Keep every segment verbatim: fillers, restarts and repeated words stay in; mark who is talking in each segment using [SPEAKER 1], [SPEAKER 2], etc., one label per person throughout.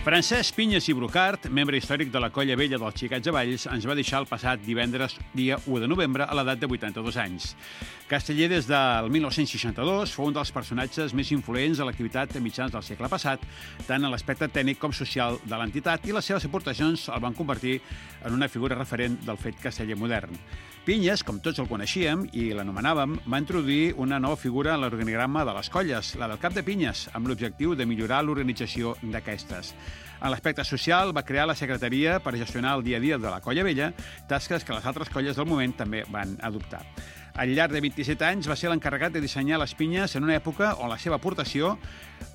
[SPEAKER 1] Francesc Pinyes i Brocart, membre històric de la Colla Vella dels Xiquets de Valls, ens va deixar el passat divendres, dia u de novembre, a l'edat de vuitanta-dos anys. Casteller, des del mil nou-cents seixanta-dos, fou un dels personatges més influents a l'activitat de mitjans del segle passat, tant en l'aspecte tècnic com social de l'entitat, i les seves aportacions el van convertir en una figura referent del fet casteller modern. Pinyes, com tots el coneixíem i l'anomenàvem, va introduir una nova figura en l'organigrama de les colles, la del cap de pinyes, amb l'objectiu de millorar l'organització d'aquestes. En l'aspecte social, va crear la secretaria per gestionar el dia a dia de la Colla Vella, tasques que les altres colles del moment també van adoptar. Al llarg de vint-i-set anys va ser l'encarregat de dissenyar les pinyes en una època on la seva aportació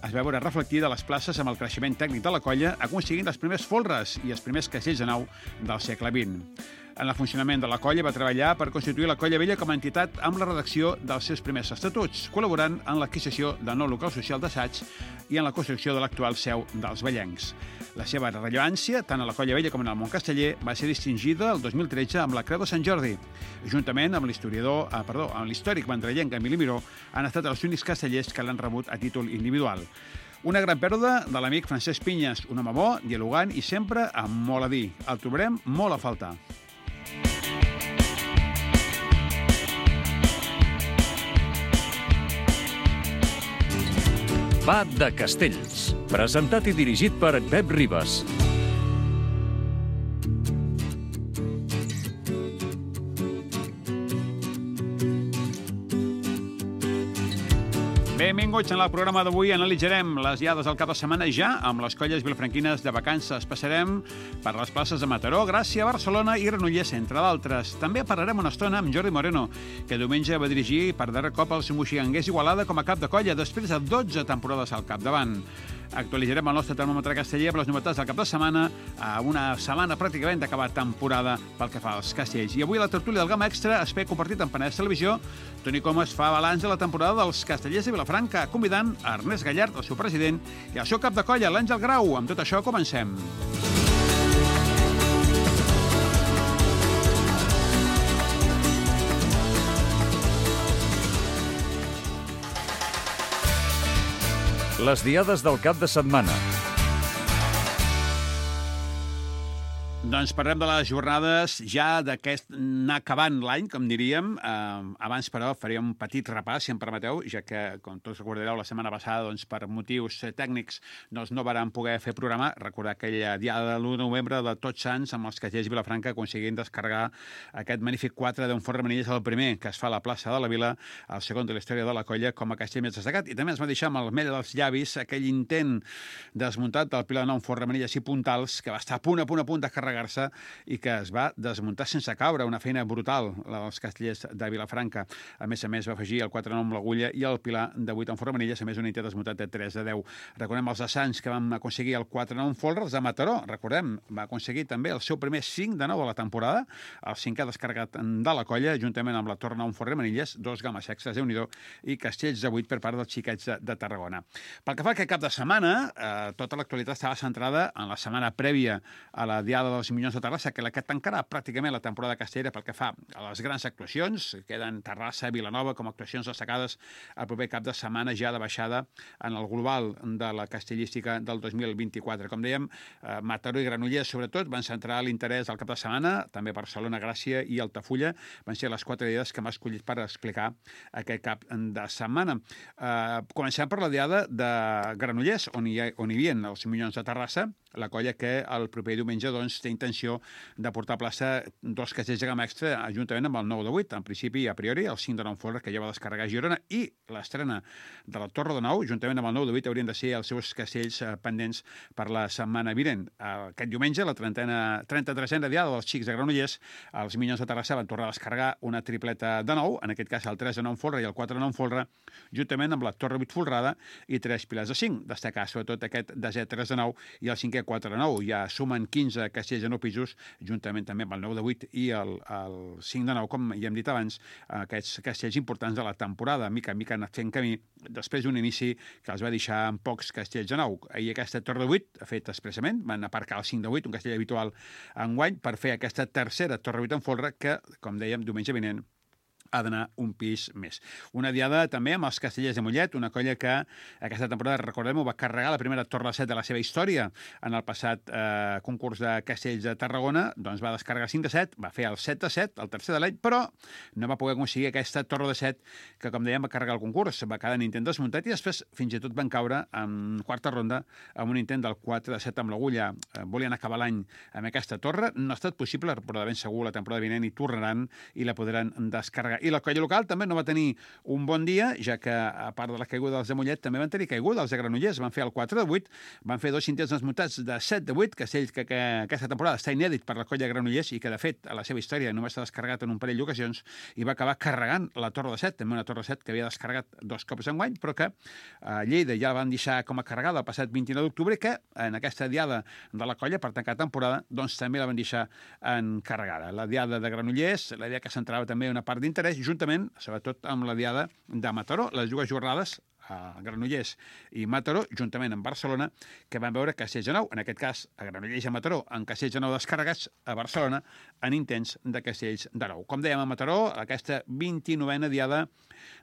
[SPEAKER 1] es va veure reflectida a les places amb el creixement tècnic de la colla, aconseguint els primers folres i els primers castells de nau del segle vint. En el funcionament de la colla va treballar per constituir la Colla Vella com a entitat amb la redacció dels seus primers estatuts, col·laborant en l'adquisició del nou local social d'assaig i en la construcció de l'actual seu dels Vellencs. La seva rellevància, tant a la Colla Vella com en el món casteller, va ser distingida el dos mil tretze amb la Creu de Sant Jordi. Juntament amb l'historiador, ah, perdó, amb l'històric vendrellenc Emili Miró, han estat els únics castellers que l'han rebut a títol individual. Una gran pèrdua de l'amic Francesc Pinyes, un home bo, dialogant i sempre amb molt a dir. El trobarem molt a faltar.
[SPEAKER 2] Va de Castells, presentat i dirigit per Pep Ribas.
[SPEAKER 1] Benvinguts. En el programa d'avui analitzarem les diades del cap de setmana ja amb les colles vilafranquines de vacances. Passarem per les places de Mataró, Gràcia, Barcelona i Granollers, entre d'altres. També parlarem una estona amb Jordi Moreno, que diumenge va dirigir per darrer cop els moixiganguers Igualada com a cap de colla, després de dotze temporades al capdavant. Actualitzarem el nostre termòmetre casteller amb les novetats del cap de setmana, a una setmana pràcticament d'acabar temporada pel que fa als castells. I avui a la tertúlia del Gamma Extra, espai compartit en Penedès Televisió, Toni Comas fa balanç de la temporada dels castellers de Vilafranca, convidant a Ernest Gallard, el seu president, i el seu cap de colla, l'Àngel Grau. Amb tot això, comencem.
[SPEAKER 2] Les diades del cap de setmana.
[SPEAKER 1] Doncs parlem de les jornades ja d'aquest anar acabant l'any, com diríem. Eh, abans, però, faríem un petit repàs, si em permeteu, ja que, com tots recordareu, la setmana passada, doncs, per motius tècnics, doncs, no vàrem poder fer programa. Recordar aquella diada de l'u de novembre de Tots Sants amb els castellers Vilafranca aconseguint descarregar aquest magnífic quatre d'un Fort Remenilles, el primer que es fa a la plaça de la Vila, el segon de la història de la colla com a castell més destacat. I també ens va deixar amb el mel dels llavis aquell intent desmuntat del Pilar nou Fort Remenilles i Puntals, que va estar a punt, a punt, a punt de carregar i que es va desmuntar sense caure, una feina brutal, la dels castellers de Vilafranca. A més a més, va afegir el quatre nou amb l'Agulla i el Pilar de vuit en Fort Remenilles, a més un intent desmuntat de tres de deu. Recordem els de Sants, que vam aconseguir el quatre nou en folre, els de Mataró, recordem, va aconseguir també el seu primer cinc de nou de la temporada, el cinquè descarregat de la colla, juntament amb la Torre nou en Fort Remenilles, dos games extras, Déu-n'hi-do, i castells de vuit per part dels xiquets de, de Tarragona. Pel que fa a aquest cap de setmana, eh, tota l'actualitat estava centrada en la setmana prèvia a la diada dels Minyons de Terrassa, que la que tancarà pràcticament la temporada castellera pel que fa a les grans actuacions. Queden Terrassa, Vilanova com a actuacions destacades el proper cap de setmana ja de baixada en el global de la castellística del dos mil vint-i-quatre. Com dèiem, eh, Mataró i Granollers, sobretot, van centrar l'interès al cap de setmana, també Barcelona, Gràcia i Altafulla van ser les quatre diades que m'ha escollit per explicar aquest cap de setmana. Eh, comencem per la diada de Granollers, on hi, ha, on hi havia els Minyons de Terrassa, la colla que el proper diumenge doncs, té intenció de portar a plaça dos castells de gamma extra juntament amb el nou de vuit, en principi i a priori, el cinc de nou folre que ja va descarregar a Girona, i l'estrena de la Torre de Nou, juntament amb el nou de vuit, haurien de ser els seus castells eh, pendents per la setmana vinent. Aquest diumenge, la trenta-tresena diada dels xics de Granollers, els Minyons de Terrassa van tornar a descarregar una tripleta de nou, en aquest cas el tres de nou folre i el quatre de nou folre, juntament amb la Torre vuit folrada i tres pilars de cinc. Destacar sobretot aquest desè tres de nou i el cinquè quatre de nou. Ja sumen quinze castells de nou pisos, juntament també amb el nou de vuit i el, el cinc de nou, com ja hem dit abans, aquests castells importants de la temporada, mica en mica han anat fent camí, després d'un inici que els va deixar amb pocs castells de nou. Ahir aquesta Torre de vuit ha fet expressament, van aparcar el cinc de vuit, un castell habitual enguany, per fer aquesta tercera Torre vuit en folre que, com dèiem, diumenge vinent ha d'anar un pis més. Una diada també amb els Castellers de Mollet, una colla que aquesta temporada, recordem-ho, va carregar la primera torre de set de la seva història en el passat eh, concurs de Castells de Tarragona, doncs va descarregar cinc de set, va fer el set de set, el tercer de l'any, però no va poder aconseguir aquesta torre de set que, com dèiem, va carregar el concurs, va quedar en intent desmuntat i després fins i tot van caure en quarta ronda amb un intent del quatre de set amb l'agulla. Eh, volien acabar l'any amb aquesta torre, no ha estat possible, però de ben segur la temporada vinent hi tornaran i la podran descarregar. I la colla local també no va tenir un bon dia, ja que, a part de la caiguda dels de Mollet, també van tenir caiguda els de Granollers. Van fer el quatre de vuit, van fer dos intents desmuntats de set de vuit, castell que, que aquesta temporada està inèdit per la colla Granollers i que, de fet, a la seva història només s'ha descarregat en un parell d'ocasions i va acabar carregant la torre de set, també una torre de set que havia descarregat dos cops enguany, però que a Lleida ja la van deixar com a carregada el passat vint-i-nou d'octubre, que en aquesta diada de la colla per tancar temporada, doncs també la van deixar encarregada. La diada de Granollers, la diada que centrava també una part d'interès, juntament, sobretot amb la diada de Mataró, les dues jornades a Granollers i Mataró, juntament amb Barcelona, que van veure Castells de Nou, en aquest cas a Granollers i a Mataró, en Castells de Nou descarregats, a Barcelona en intents de Castells de Nou. Com dèiem, a Mataró, aquesta vint-i-novena diada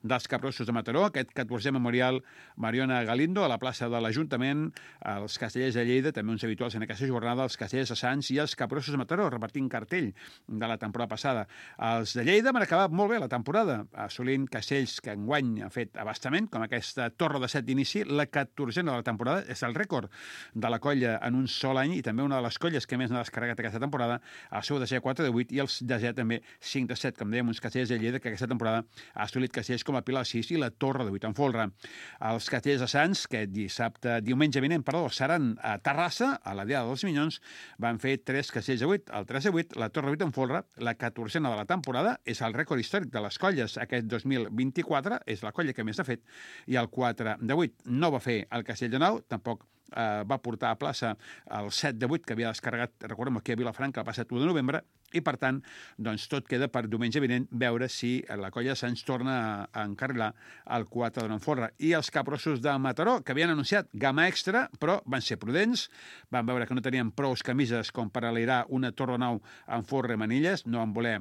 [SPEAKER 1] dels Capgrossos de Mataró, aquest catorzè memorial Mariona Galindo a la plaça de l'Ajuntament, els Castellers de Lleida, també uns habituals en aquesta jornada, els Castellers de Sants i els Capgrossos de Mataró, repartint cartell de la temporada passada. Els de Lleida van acabar molt bé la temporada, assolint castells que enguany han fet abastament, com aquesta torre de set d'inici, la catorzena de la temporada, és el rècord de la colla en un sol any i també una de les colles que més n'ha descarregat aquesta temporada, el seu desè quatre de vuit i els desè també cinc de set, com dèiem, uns castellers de Lleida que aquesta temporada ha assolit castells com la Pilar sis i la Torre de vuit en folre. Els Castellers de Sants, que dissabte, diumenge vinent, perdó, seran a Terrassa, a la Diada dels Minyons, van fer tres castells de vuit, el tres de vuit, la Torre de vuit en folre, la catorzena de la temporada, és el rècord històric de les colles aquest dos mil vint-i-quatre, és la colla que més ha fet, i el quatre de vuit no va fer el Castell de Nou, tampoc eh, va portar a plaça el set de vuit que havia descarregat, recordem, aquí a Vilafranca el passat u de novembre, i per tant, doncs tot queda per diumenge vinent veure si la colla se'ns torna a, a encarrilar el quatre de nou folre. I els Capgrossos de Mataró, que havien anunciat gamma extra, però van ser prudents, van veure que no tenien prous camises com per alirar una torre de nou en folre i manilles, no van voler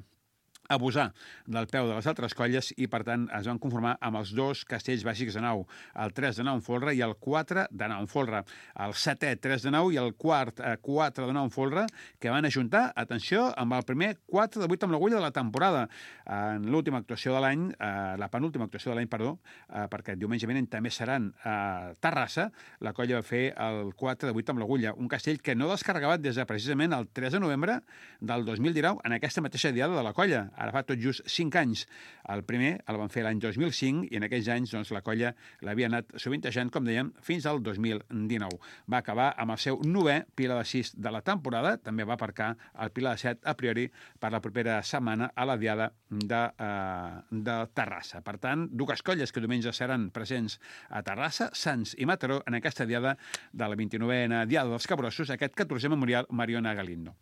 [SPEAKER 1] abusar del peu de les altres colles i, per tant, es van conformar amb els dos castells bàsics de nou, el tres de nou en folre i el quatre de nou en folre. El setè, tres de nou i el quart, eh, quatre de nou en folre, que van ajuntar, atenció, amb el primer quatre de vuit amb l'agulla de la temporada. En l'última actuació de l'any, eh, la penúltima actuació de l'any, perdó, eh, perquè diumenge vinent també seran a Terrassa, la colla va fer el quatre de vuit amb l'agulla, un castell que no descarregava des de precisament el tres de novembre del dos mil dinou, en aquesta mateixa diada de la colla. Ara fa tot just cinc anys. El primer el van fer l'any dos mil cinc i en aquells anys doncs, la colla l'havia anat sovintejant, com dèiem, fins al dos mil dinou. Va acabar amb el seu novè Pilar de sis de la temporada, també va aparcar el Pilar de set a priori per la propera setmana a la diada de, eh, de Terrassa. Per tant, dues colles que diumenge seran presents a Terrassa, Sants i Mataró en aquesta diada de la vint-i-novena diada dels Capgrossos, aquest catorzè memorial Mariona Galindo.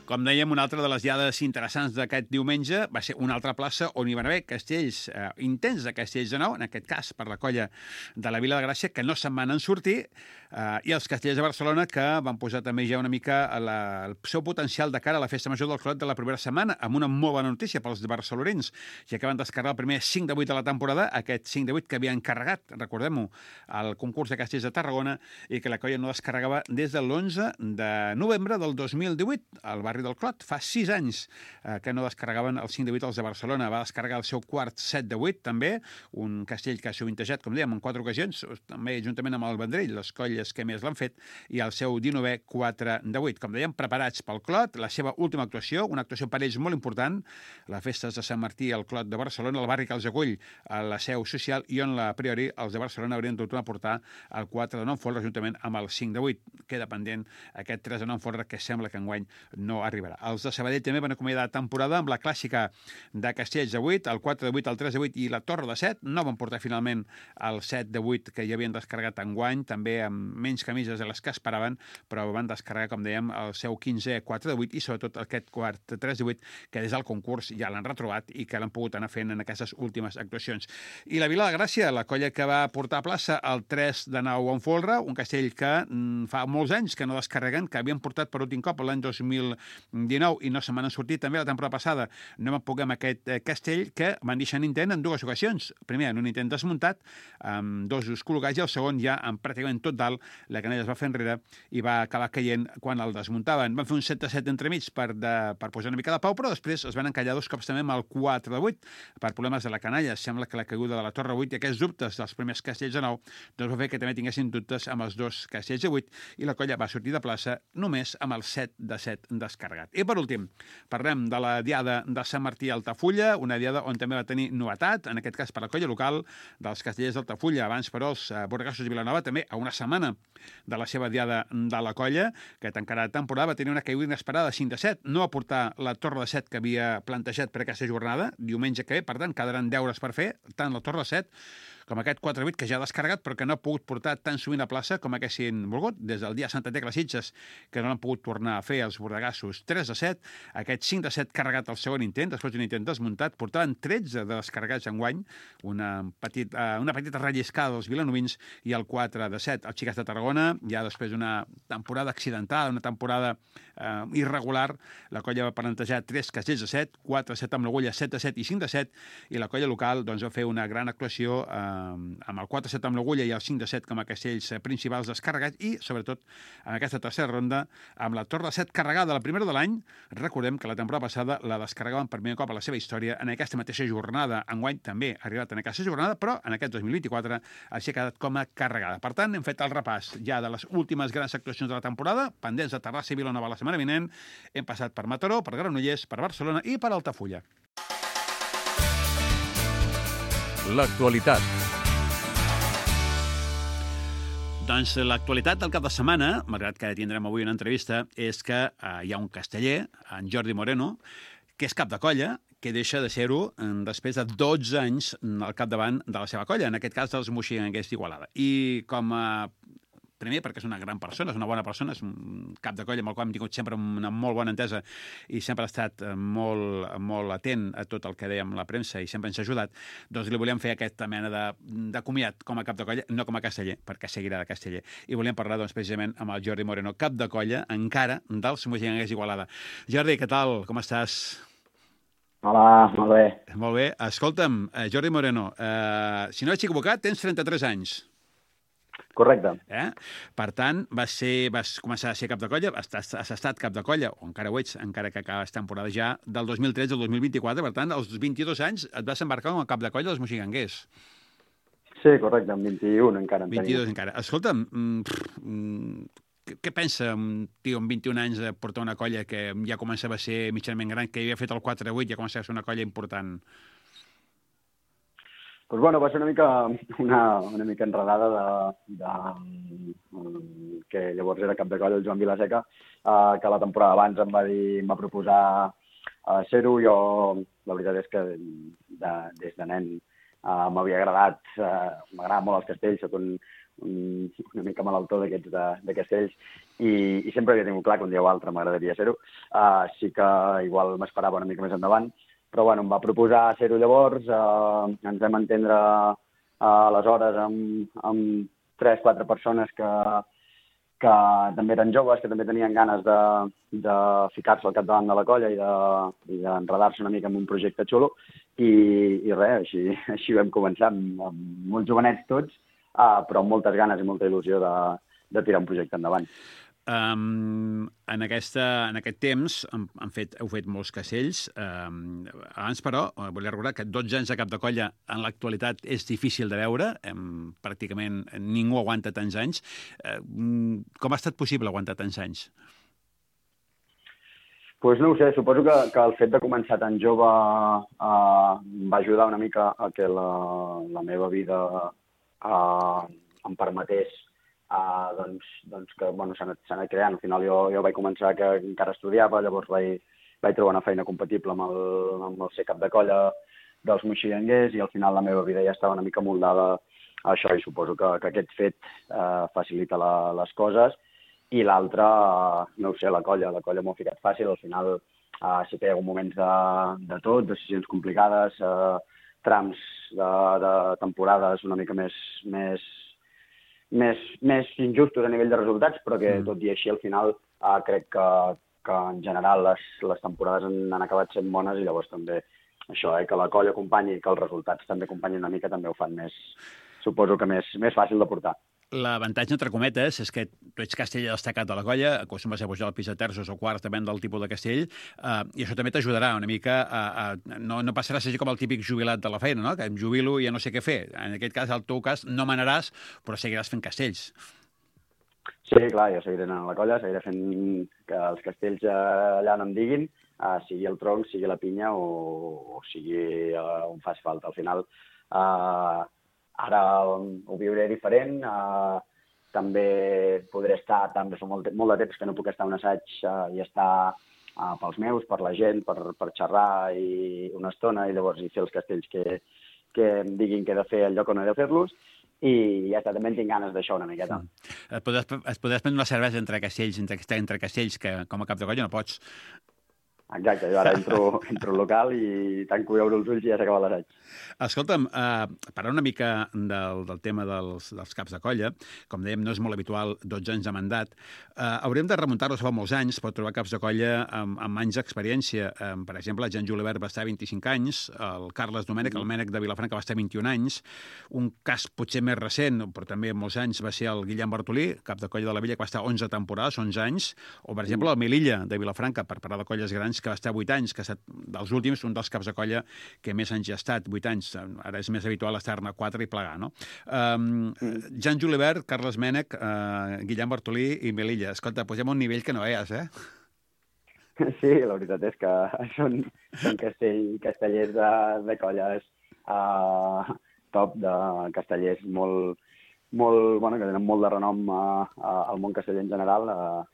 [SPEAKER 1] Com dèiem, una altra de les diades interessants d'aquest diumenge va ser una altra plaça on hi van haver castells, eh, intents de castells de nou, en aquest cas per la colla de la Vila de Gràcia, que no se'n van en sortir, eh, i els castellers de Barcelona, que van posar també ja una mica la, el seu potencial de cara a la festa major del Clot de la propera setmana, amb una molt bona notícia pels barcelonins, ja que van descarregar el primer cinc de vuit de la temporada, aquest cinc de vuit que havien carregat, recordem-ho, al concurs de castells de Tarragona, i que la colla no descarregava des de l'onze de novembre del dos mil divuit, al barri del Clot. Fa sis anys eh, que no descarregaven el cinc de vuit els de Barcelona. Va descarregar el seu quart set de vuit, també, un castell que ha sovintejat, com dèiem, en quatre ocasions, també juntament amb el Vendrell, les colles que més l'han fet, i el seu dinovè quatre de vuit. Com dèiem, preparats pel Clot, la seva última actuació, una actuació per ells molt important, la Festes de Sant Martí al Clot de Barcelona, el barri que els acull a la seu social, i on, a priori, els de Barcelona haurien de tornar a portar el quatre de nou folre juntament amb el cinc de vuit. Queda pendent aquest tres de nou folre que sembla que enguany no arribarà. Els de Sabadell també van acomiadar temporada amb la clàssica de castells de vuit, el quatre de vuit, el tres de vuit i la torre de set. No van portar finalment el set de vuit que ja havien descarregat enguany, també amb menys camises de les que esperaven, però van descarregar, com dèiem, el seu quinzè quatre de vuit i sobretot aquest quart tres de vuit que des del concurs ja l'han retrobat i que l'han pogut anar fent en aquestes últimes actuacions. I la Vila de Gràcia, la colla que va portar a plaça el tres de nou en folre, un castell que mm, fa molts anys que no descarreguen, que havien portat per últim cop l'any dos mil dinou i no se m'han sortit també la temporada passada. No vam poder amb aquest eh, castell que van deixar Nintendo en dues ocasions. Primer, en un Nintendo desmuntat, amb dos us col·locats, i el segon ja amb pràcticament tot dalt, la canalla es va fer enrere i va acabar caient quan el desmuntaven. Van fer un set a set entremig per, de, per posar una mica de pau, però després es van encallar dos cops també amb el quatre de vuit per problemes de la canalla. Sembla que la caiguda de la torre vuit i aquests dubtes dels primers castells de nou doncs va fer que també tinguessin dubtes amb els dos castells de vuit i la colla va sortir de plaça només amb el set de set descarregat. I per últim, parlem de la diada de Sant Martí a Altafulla, una diada on també va tenir novetat, en aquest cas per la colla local dels castellers d'Altafulla. Abans, però, els Borgassos i Vilanova també a una setmana de la seva diada de la colla, que tancarà la temporada, va tenir una caiguda inesperada de cinc de set. No va portar la torre de set que havia plantejat per aquesta jornada, diumenge que ve, per tant, quedaran deures per fer, tant la torre de set com aquest quatre vuit que ja ha descarregat però que no ha pogut portar tan sovint a plaça com haguessin volgut, des del dia Santa Tecla Sitges, que no l'han pogut tornar a fer els bordegassos. tres a set, aquest cinc de set carregat al segon intent, després d'un intent desmuntat, portaven tretze de descarregats enguany, una, petit, uh, una petita relliscada dels vilanovins, i el quatre de set, el Xiques de Tarragona, ja després d'una temporada accidentada, una temporada uh, irregular, la colla va plantejar tres castells de set, quatre a set amb l'agulla, set a set i cinc de set, i la colla local doncs, va fer una gran actuació uh, amb el quatre a set amb l'agulla i el cinc de set com a castells principals descarregats i, sobretot, en aquesta tercera ronda, amb la torre de set carregada la primera de l'any. Recordem que la temporada passada la descarregaven per primer cop a la seva història en aquesta mateixa jornada. Enguany també ha arribat en aquesta jornada, però en aquest dos mil vint-i-quatre així ha quedat com a carregada. Per tant, hem fet el repàs ja de les últimes grans actuacions de la temporada, pendents de Terrassa i Vilanova la setmana vinent. Hem passat per Mataró, per Granollers, per Barcelona i per Altafulla.
[SPEAKER 2] L'actualitat.
[SPEAKER 1] Doncs l'actualitat del cap de setmana, malgrat que tindrem avui una entrevista, és que eh, hi ha un casteller, en Jordi Moreno, que és cap de colla, que deixa de ser-ho després de dotze anys al capdavant de la seva colla, en aquest cas dels Moixigangers d'Igualada. I com a primer, perquè és una gran persona, és una bona persona, és un cap de colla amb el qual hem tingut sempre una molt bona entesa i sempre ha estat molt, molt atent a tot el que dèiem la premsa i sempre ens ha ajudat, doncs li volíem fer aquesta mena de, de comiat com a cap de colla, no com a casteller, perquè seguirà de casteller. I volíem parlar, doncs, precisament amb el Jordi Moreno, cap de colla, encara, dels Moixigangers d'Igualada. Jordi, què tal? Com estàs?
[SPEAKER 3] Hola, molt bé.
[SPEAKER 1] Molt bé. Escolta'm, Jordi Moreno, eh, si no he equivocat, tens trenta-tres anys.
[SPEAKER 3] Correcte.
[SPEAKER 1] Eh? Per tant, vas, ser, vas començar a ser cap de colla, has, has estat cap de colla, o encara ho ets, encara que acabes temporada ja, del dos mil tretze al dos mil vint-i-quatre, per tant, als vint-i-dos anys et vas embarcar com a cap de colla dels Moixigangers.
[SPEAKER 3] Sí, correcte, amb vint-i-un encara en
[SPEAKER 1] vint-i-dos encara. Escolta'm, mm, què, què pensa un tio amb vint-i-un anys de portar una colla que ja començava a ser mitjanament gran, que havia fet el quatre vuit, ja començava a ser una colla important?
[SPEAKER 3] Pues bueno, va ser una mica, una, una mica enredada de, de, um, que llavors era cap de colla el Joan Vilaseca, uh, que la temporada abans em va dir, em va proposar uh, ser-ho. Jo, la veritat és que de, des de nen uh, m'havia agradat, uh, m'agrada molt els castells, soc un, un, una mica malaltó d'aquests de, de castells, i, i sempre havia tingut clar que un dia o altre m'agradaria ser-ho. Uh, sí que igual m'esperava una mica més endavant, però bueno, em va proposar ser-ho llavors, eh, ens vam entendre eh, aleshores amb, amb tres, quatre persones que, que també eren joves, que també tenien ganes de, de ficar-se al capdavant de la colla i d'enredar-se de, una mica en un projecte xulo, i, i res, així, així vam començar, amb, amb molt jovenets tots, eh, però amb moltes ganes i molta il·lusió de, de tirar un projecte endavant.
[SPEAKER 1] Um, en, aquesta, en aquest temps han, han fet, heu fet molts castells. Um, abans, però, volia recordar que dotze anys de cap de colla en l'actualitat és difícil de veure. Um, pràcticament ningú aguanta tants anys. Uh, com ha estat possible aguantar tants anys?
[SPEAKER 3] Pues no ho sé, suposo que, que el fet de començar tan jove uh, va ajudar una mica a que la, la meva vida uh, em permetés Uh, doncs, doncs que bueno, s'ha anat, anat creant. Al final jo, jo vaig començar que encara estudiava, llavors vaig, vaig trobar una feina compatible amb el, amb el ser cap de colla dels Moixigangers, i al final la meva vida ja estava una mica moldada a això, i suposo que, que aquest fet uh, facilita la, les coses. I l'altre, uh, no ho sé, la colla, la colla m'ho ha ficat fàcil. Al final uh, sí que hi ha hagut moments de, de tot, decisions complicades, uh, trams de, de temporades una mica més, més Més, més injustos a nivell de resultats, però que tot i així al final eh, crec que, que en general les, les temporades han, han acabat sent bones i llavors també això, eh, que la colla acompanyi i que els resultats també acompanyin una mica també ho fan més, suposo que més, més fàcil de portar.
[SPEAKER 1] L'avantatge, entre cometes, és que tu ets castell destacat de la colla, acostumes a pujar al pis de terços o quarts, depèn del tipus de castell, eh, i això també t'ajudarà una mica a... a no, no passaràs a ser com el típic jubilat de la feina, no? Que em jubilo i ja no sé què fer. En aquest cas, al teu cas, no manaràs, però seguiràs fent castells.
[SPEAKER 3] Sí, clar, jo seguiré anant a la colla, seguiré fent que els castells allà no em diguin, uh, sigui el tronc, sigui la pinya o, o sigui uh, on faci falta. Al final, uh, ara ho viuré diferent, uh, també podré estar, també fa molt, molt de temps que no puc estar a un assaig uh, i estar uh, pels meus, per la gent, per, per xerrar i una estona i llavors i fer els castells que, que em diguin que he de fer el lloc on he de fer-los i ja està, també en tinc ganes d'això una miqueta.
[SPEAKER 1] Mm. Et podràs, et podràs prendre una cervesa entre castells, entre, entre castells, que com a cap de colla no pots.
[SPEAKER 3] Exacte, jo ara entro, entro al local i tanco i obro els ulls i ja s'acaba l'assaig.
[SPEAKER 1] Escolta'm, eh, parlant una mica del, del tema dels, dels caps de colla, com dèiem, no és molt habitual dotze anys de mandat, eh, hauríem de remuntar-los fa molts anys per trobar caps de colla amb, amb anys d'experiència. Eh, per exemple, el Jan Julivert va estar vint-i-cinc anys, el Carles Domènech, el Mènec de Vilafranca va estar vint-i-un anys, un cas potser més recent, però també molts anys, va ser el Guillem Bartolí, cap de colla de la Villa, que va estar onze temporades, onze anys, o per exemple el Melilla de Vilafranca, per parlar de colles grans, que va estar vuit anys, que ha estat dels últims, un dels caps de colla que més anys ha estat, vuit anys. Ara és més habitual estar-ne quatre i plegar, no? Um, Jan Julivert, Carles Mènec, uh, Guillem Bartolí i Melilla. Escolta, posem un nivell que no veies, eh?
[SPEAKER 3] Sí, la veritat és que són, són castell, castellers de, de colles uh, top, de castellers molt, molt, bueno, que tenen molt de renom uh, uh, al món casteller en general. Uh,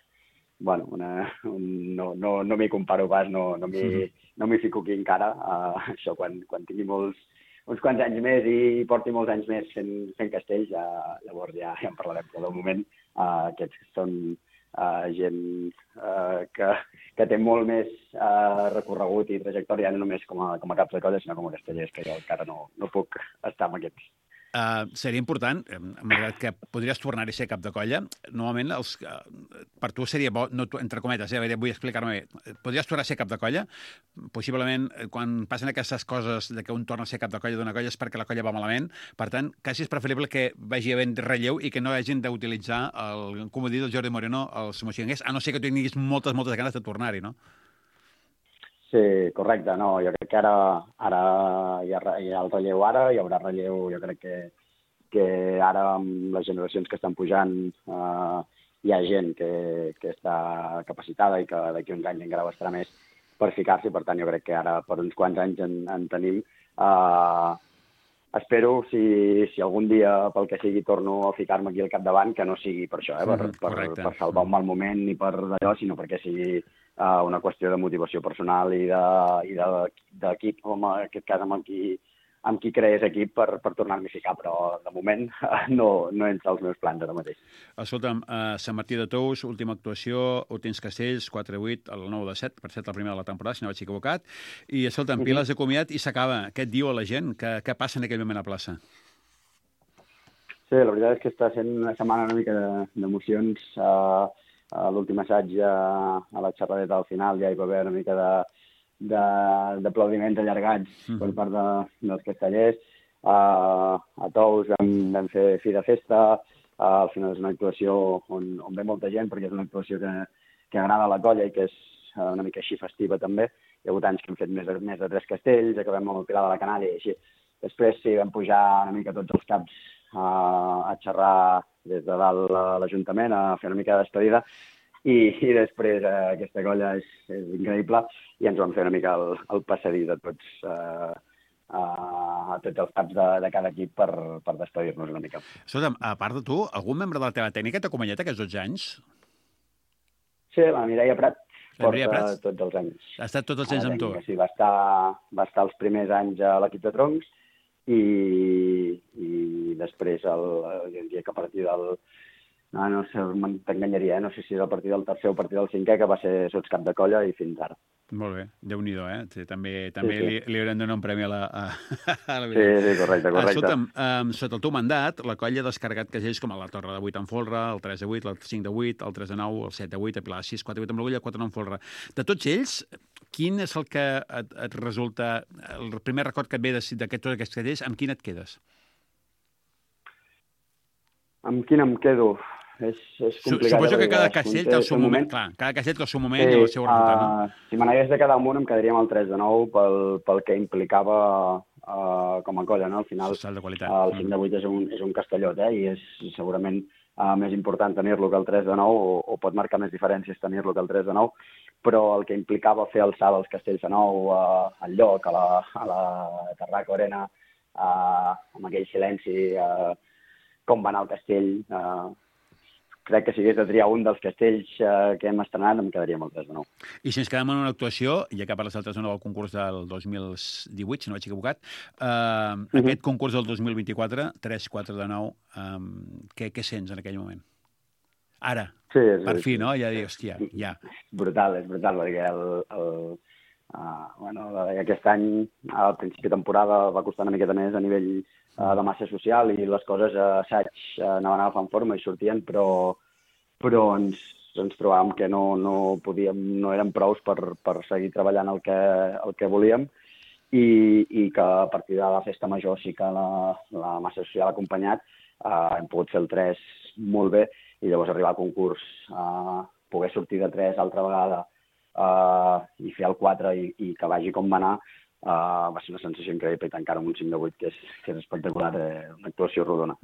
[SPEAKER 3] bueno, una, un, no, no, no m'hi comparo pas, no, no m'hi no m'hi fico aquí encara. Uh, això, quan, quan tingui molts, uns quants anys més i porti molts anys més fent, fent castells, ja, llavors ja, ja en parlarem. Però de moment uh, aquests són uh, gent uh, que, que té molt més uh, recorregut i trajectòria, no només com a, com a caps de colla, sinó com a castellers, que jo encara no, no puc estar amb aquests.
[SPEAKER 1] Uh, seria important, malgrat que podries tornar-hi a ser cap de colla, normalment els, uh, per tu seria bo, no, entre cometes, eh, vull explicar-me bé, podries tornar a ser cap de colla, possiblement quan passen aquestes coses de que un torna a ser cap de colla d'una colla és perquè la colla va malament, per tant, quasi és preferible que vagi havent relleu i que no hagin d'utilitzar el comodí del Jordi Moreno als moixinguers, a no ser que tu tinguis moltes, moltes ganes de tornar-hi, no?
[SPEAKER 3] Sí, correcte. No, jo crec que ara, ara hi, ha, hi ha el relleu ara, hi haurà relleu, jo crec que, que ara amb les generacions que estan pujant eh, hi ha gent que, que està capacitada i que d'aquí uns anys encara estarà més per ficar-s'hi, per tant jo crec que ara per uns quants anys en, en tenim. Eh, espero, si, si algun dia pel que sigui torno a ficar-me aquí al capdavant, que no sigui per això, eh, per, per, per salvar un mal moment ni per d'allò, sinó perquè sigui Uh, una qüestió de motivació personal i d'equip, de, com en aquest cas amb qui, amb qui creés equip per, per tornar-m'hi a ficar, però de moment uh, no, no entra als meus plans ara mateix.
[SPEAKER 1] Escolta'm, uh, Sant Martí de Tous, última actuació, últims castells, quatre vuit, el nou de set, per set la primera de la temporada, si no vaig equivocat, i escolta'm, uh-huh. Piles de comiat i s'acaba. Què et diu a la gent? Què, què passa en aquell moment a plaça?
[SPEAKER 3] Sí, la veritat és que està sent una setmana una mica d'emocions. Uh, A l'últim assaig, a, a la xerradeta al final, ja hi va haver una mica d'aplaudiments allargats mm. per part de, dels castellers. Uh, a Tous vam, vam fer fi de festa. Uh, al final és una actuació on, on ve molta gent, perquè és una actuació que, que agrada a la colla i que és una mica així festiva també. Hi ha hagut anys que hem fet més de, més de tres castells, acabem amb el Pilar de la Canària i així. Després sí, vam pujar una mica tots els caps uh, a xerrar des de dalt a l'Ajuntament, a fer una mica de despedida, i, i després eh, aquesta colla és, és increïble, i ens vam fer una mica el, el passadís a tots, eh, a, a tots els caps de, de cada equip per, per despedir-nos una mica.
[SPEAKER 1] Escolta'm, a part de tu, algun membre de la teva tècnica t'ha acompanyat aquests dotze anys?
[SPEAKER 3] Sí, la Mireia Prat
[SPEAKER 1] la Mireia
[SPEAKER 3] porta
[SPEAKER 1] Prats?
[SPEAKER 3] tots els anys.
[SPEAKER 1] Ha estat tots els anys amb tu?
[SPEAKER 3] Sí, va estar, va estar els primers anys a l'equip de troncs, i, i després el, jo diria que a partir del no, no sé, t'enganyaria, eh? No sé si és a partir del tercer o a partir del cinquè, que va ser sots cap de colla i fins ara.
[SPEAKER 1] Molt bé, Déu-n'hi-do, eh? Sí, també també
[SPEAKER 3] Sí, sí.
[SPEAKER 1] li, li haurem de donar un premi a la, a, a la
[SPEAKER 3] Sí, sí, correcte, correcte.
[SPEAKER 1] Escolta'm, um, sota el teu mandat, la colla ha descarregat casells com a la Torre de vuit en folre, el tres de vuit, el cinc de vuit, el tres de nou, el set de vuit, el Pilar sis, quatre de vuit amb l'agulla, quatre de nou en folre. De tots ells, quin és el que et, et resulta, el primer record que et ve d'aquests tots aquests casells, amb quin et quedes?
[SPEAKER 3] Amb quin em quedo? És, és complicat.
[SPEAKER 1] Suposo que cada
[SPEAKER 3] és,
[SPEAKER 1] castell té el seu moment. Clar, cada castell té el seu moment
[SPEAKER 3] sí,
[SPEAKER 1] i el seu resultat, no?
[SPEAKER 3] Uh, si me n'hagués de quedar amb un, em quedaria amb el tres de nou pel, pel que implicava uh, com a colla, no? Al final,
[SPEAKER 1] Salt de qualitat.
[SPEAKER 3] Uh, el cinc de vuit és un, és un castellot, eh? I és segurament uh, més important tenir-lo que el tres de nou, o, o pot marcar més diferències tenir-lo que el tres de nou, però el que implicava fer el salt als castells de nou, uh, al lloc, a la, a la Tarraco Arena, uh, amb aquell silenci, uh, com va anar el castell... Uh, crec que si hagués de triar un dels castells eh, que hem estrenat, em quedaria amb el tres de nou.
[SPEAKER 1] I si ens quedem en una actuació, ja que parles del tres de nou del concurs del dos mil divuit, si no vaig equivocat, eh, uh -huh. aquest concurs del dos mil vint-i-quatre, tres quatre de nou, eh, què, què sents en aquell moment? Ara,
[SPEAKER 3] sí, és,
[SPEAKER 1] per fi,
[SPEAKER 3] és,
[SPEAKER 1] no? Ja dius, hòstia, ja.
[SPEAKER 3] Brutal, és brutal, perquè el, el, uh, bueno, aquest any, al principi de temporada, va costar una miqueta més a nivell de massa social i les coses a assaig anaven agafant forma i sortien, però, però ens, ens trobàvem que no, no podíem, no érem prous per, per seguir treballant el que, el que volíem i, i que a partir de la festa major sí que la, la massa social ha acompanyat, eh, hem pogut fer el tres molt bé i llavors arribar al concurs, eh, poder sortir de tres altra vegada eh, i fer el quatre i, i que vagi com va anar, Uh, va ser una sensació increïble i tancar amb un cinc de vuit que és, que és espectacular, eh, una actuació rodona.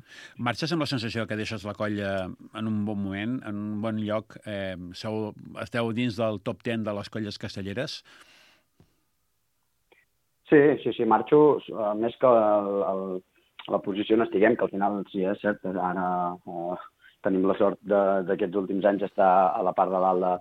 [SPEAKER 1] Marxes amb la sensació que deixes la colla en un bon moment, en un bon lloc, eh, sou, esteu dins del top deu de les colles castelleres?
[SPEAKER 3] Sí, sí, sí, marxo, uh, més que el, el, la posició on estiguem, que al final sí, és cert, ara uh, tenim la sort d'aquests últims anys estar a la part de dalt de,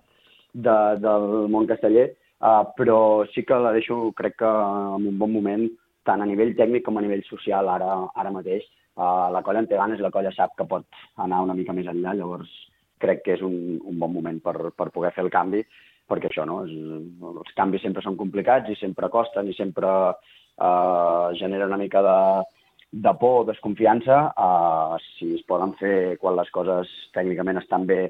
[SPEAKER 3] de, del món casteller, Uh, però sí que la deixo, crec que en un bon moment, tant a nivell tècnic com a nivell social ara, ara mateix. Uh, la colla en té ganes i la colla sap que pot anar una mica més enllà, llavors crec que és un, un bon moment per, per poder fer el canvi, perquè això, no? És, els canvis sempre són complicats i sempre costen i sempre uh, genera una mica de, de por o desconfiança. Uh, si es poden fer quan les coses tècnicament estan bé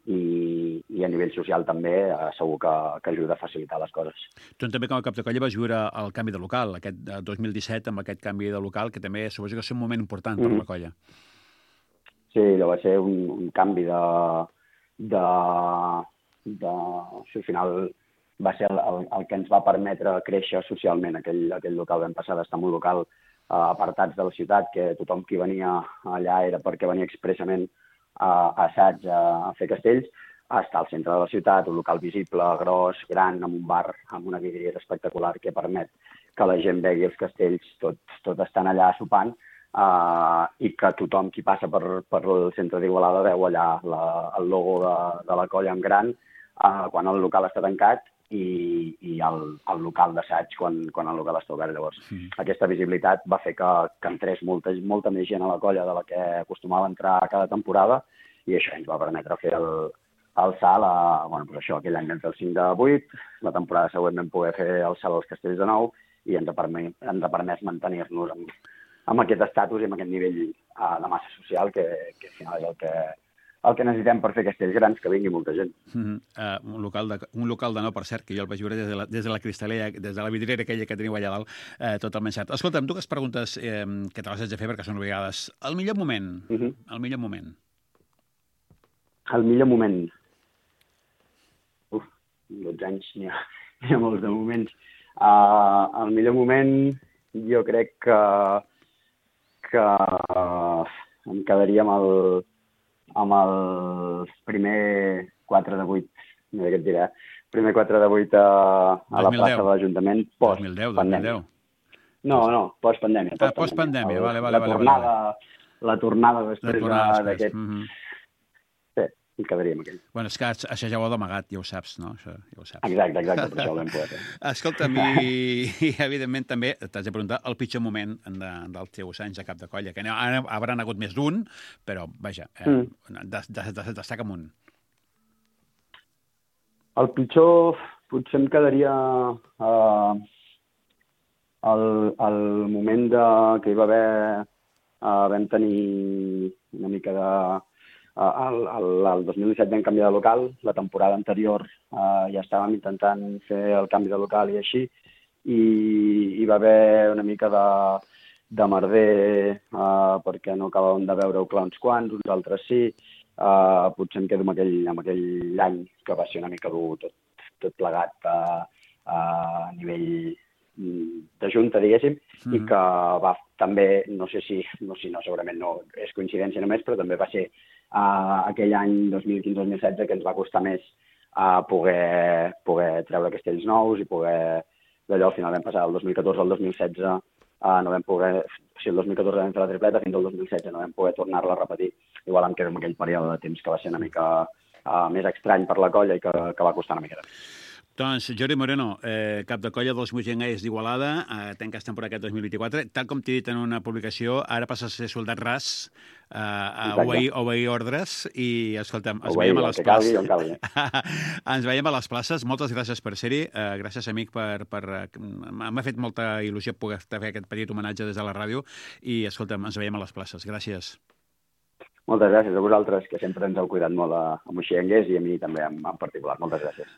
[SPEAKER 3] I, i a nivell social també eh, segur que, que ajuda a facilitar les coses.
[SPEAKER 1] Tu també com a cap de colla vas viure el canvi de local, aquest dos mil disset, amb aquest canvi de local, que també suposo que és un moment important per mm-hmm. la colla.
[SPEAKER 3] Sí, allò va ser un, un canvi de... de, de això, al final va ser el, el, el que ens va permetre créixer socialment. Aquell, aquell local vam passar d'estar en un local eh, apartats de la ciutat, que tothom qui venia allà era perquè venia expressament a assaig a fer castells, a estar al centre de la ciutat, un local visible, gros, gran, amb un bar, amb una vidriera espectacular que permet que la gent vegi els castells tot, tot estan allà sopant uh, i que tothom qui passa per, per el centre d'Igualada veu allà la, el logo de, de la colla en gran uh, quan el local està tancat i, i el, el local d'assaig quan, quan el local està obert. Llavors, sí. Aquesta visibilitat va fer que, que entrés molta, molta més gent a la colla de la que acostumava a entrar cada temporada i això ens va permetre fer el, el salt a, bueno, pues això, aquell any vam fer el cinc de vuit, la temporada següent vam poder fer el salt als castells de nou i ens ha permès, ens ha permès mantenir-nos amb, amb aquest estatus i amb aquest nivell uh, de massa social que, que al final és el que el que necessitem per fer castells grans, que vingui molta gent.
[SPEAKER 1] Mm-hmm. uh, un, local de, un local de nou, per cert, que jo el vaig veure des de la, des de la cristalera, des de la vidriera aquella que teniu allà dalt, uh, totalment cert. Escolta'm, dues preguntes eh, que te les haig de fer perquè són obligades. El millor moment? Mm-hmm. El millor moment?
[SPEAKER 3] El millor moment? Uf, dotze anys, n'hi ha, n'hi ha molts de moments. Uh, el millor moment, jo crec que, que uh, em quedaria amb el amb el primer quatre de vuit, no sé què et diré, primer quatre de vuit a, a la plaça de l'Ajuntament, post-pandèmia. No, no, post-pandèmia.
[SPEAKER 1] Ah, post-pandèmia, vale, vale.
[SPEAKER 3] La tornada, la tornada després d'aquest...
[SPEAKER 1] Mm-hmm.
[SPEAKER 3] Sí, em quedaria amb aquell.
[SPEAKER 1] Bueno, és que això ja ho heu d'amagat, ja ho saps, no? Això ja ho saps.
[SPEAKER 3] Exacte, exacte, per això ho vam poder fer.
[SPEAKER 1] Escolta'm, i, i evidentment també t'has de preguntar el pitjor moment de, dels teus anys a cap de colla, que ara hauran hagut més d'un, però, vaja, eh, mm. des, des, des, destaca'm un.
[SPEAKER 3] El pitjor, potser em quedaria uh, el, el moment de, que hi va haver, uh, vam tenir una mica de... Uh, el, el, el dos mil disset vam canviar de local, la temporada anterior uh, ja estàvem intentant fer el canvi de local i així, i hi va haver una mica de, de merder uh, perquè no acabàvem de veure-ho clar uns quants, uns altres sí. Uh, potser em quedo amb aquell, amb aquell any que va ser una mica dur tot, tot plegat a, a nivell de junta, diguéssim, mm-hmm. i que va també, no sé si, no, si no, segurament no és coincidència només, però també va ser uh, aquell any dos mil quinze dos mil setze que ens va costar més uh, poder, poder treure castells nous i poder, d'allò al final vam passar del dos mil catorze al dos mil setze, uh, no vam poder, si el dos mil catorze vam fer la tripleta, fins al dos mil setze no vam poder tornar-la a repetir. Igual em quedo amb aquell període de temps que va ser una mica uh, més estrany per la colla i que, que va costar una mica.
[SPEAKER 1] Doncs Jordi Moreno, eh, cap de colla dels Moixenguers d'Igualada, eh, tanques temporada aquest dos mil vint-i-quatre. Tal com t'he dit en una publicació, ara passes a ser soldat ras, eh, a obeir, obeir ordres i, escolta'm, ens
[SPEAKER 3] obeir,
[SPEAKER 1] veiem a les places.
[SPEAKER 3] Calgui, calgui.
[SPEAKER 1] Ens veiem a les places. Moltes gràcies per ser-hi. Eh, gràcies, amic, per... per m'ha fet molta il·lusió poder fer aquest petit homenatge des de la ràdio i, escolta'm, ens veiem a les places. Gràcies.
[SPEAKER 3] Moltes gràcies a vosaltres, que sempre ens heu cuidat molt a, a Moixenguers i a mi també en, en particular. Moltes gràcies.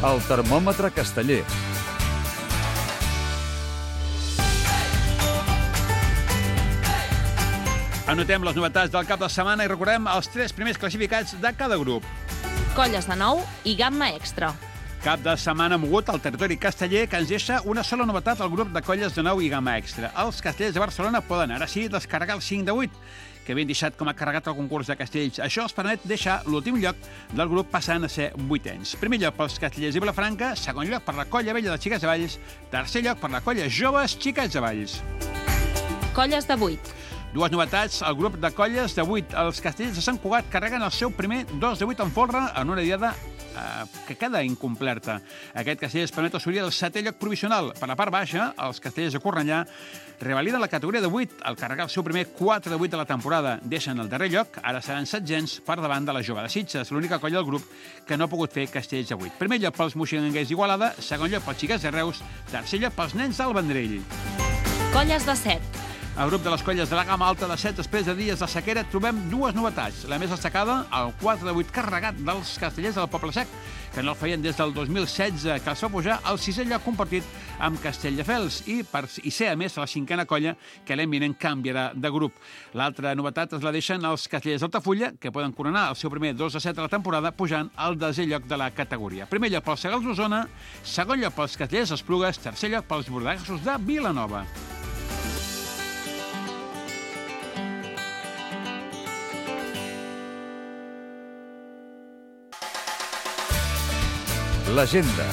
[SPEAKER 2] El termòmetre casteller.
[SPEAKER 1] Anotem les novetats del cap de setmana i recordem els tres primers classificats de cada grup.
[SPEAKER 4] Colles de nou i gamma extra.
[SPEAKER 1] Cap de setmana mogut al territori casteller que ens deixa una sola novetat al grup de colles de nou i gamma extra. Els castellers de Barcelona poden ara sí descarregar el cinc de vuit, que havien deixat com a carregat el concurs de castells. Això els permet deixar l'últim lloc del grup passant a ser vuitens. Primer lloc pels castellers de Vilafranca, segon lloc per la colla vella de Xiquets de Valls, tercer lloc per la colla joves Xiquets de Valls.
[SPEAKER 4] Colles de vuit.
[SPEAKER 1] Dues novetats, el grup de colles de vuit. Els castellers de Sant Cugat carreguen el seu primer dos de vuit en folre en una diada eh, que queda incomplerta. Aquest castell es permet assolir el setè lloc provisional. Per la part baixa, els castellers de Cornellà revaliden la categoria de vuit al carregar el seu primer quatre de vuit de la temporada. Deixen el darrer lloc, ara seran setzents per davant de la jove de Sitges, l'única colla del grup que no ha pogut fer castells de vuit. Primer lloc pels moixenguers d'Igualada, segon lloc pels xiquets de Reus, tercer lloc pels nens del Vendrell.
[SPEAKER 4] Colles de set.
[SPEAKER 1] Al grup de les colles de la gamma alta de set, després de dies de sequera, trobem dues novetats. La més destacada, el quatre de vuit carregat dels castellers del Poble Sec, que no el feien des del dos mil setze, que els va pujar al sisè lloc compartit amb Castelldefels i, per, i ser, a més, la cinquena colla que l'any vinent canviarà de grup. L'altra novetat es la deixen els castellers d'Altafulla, que poden coronar el seu primer dos de set de la temporada pujant al desè lloc de la categoria. Primer lloc pels Segals d'Osona, segon lloc pels castellers d'Esplugues, tercer lloc pels bordegassos de Vilanova.
[SPEAKER 2] L'agenda.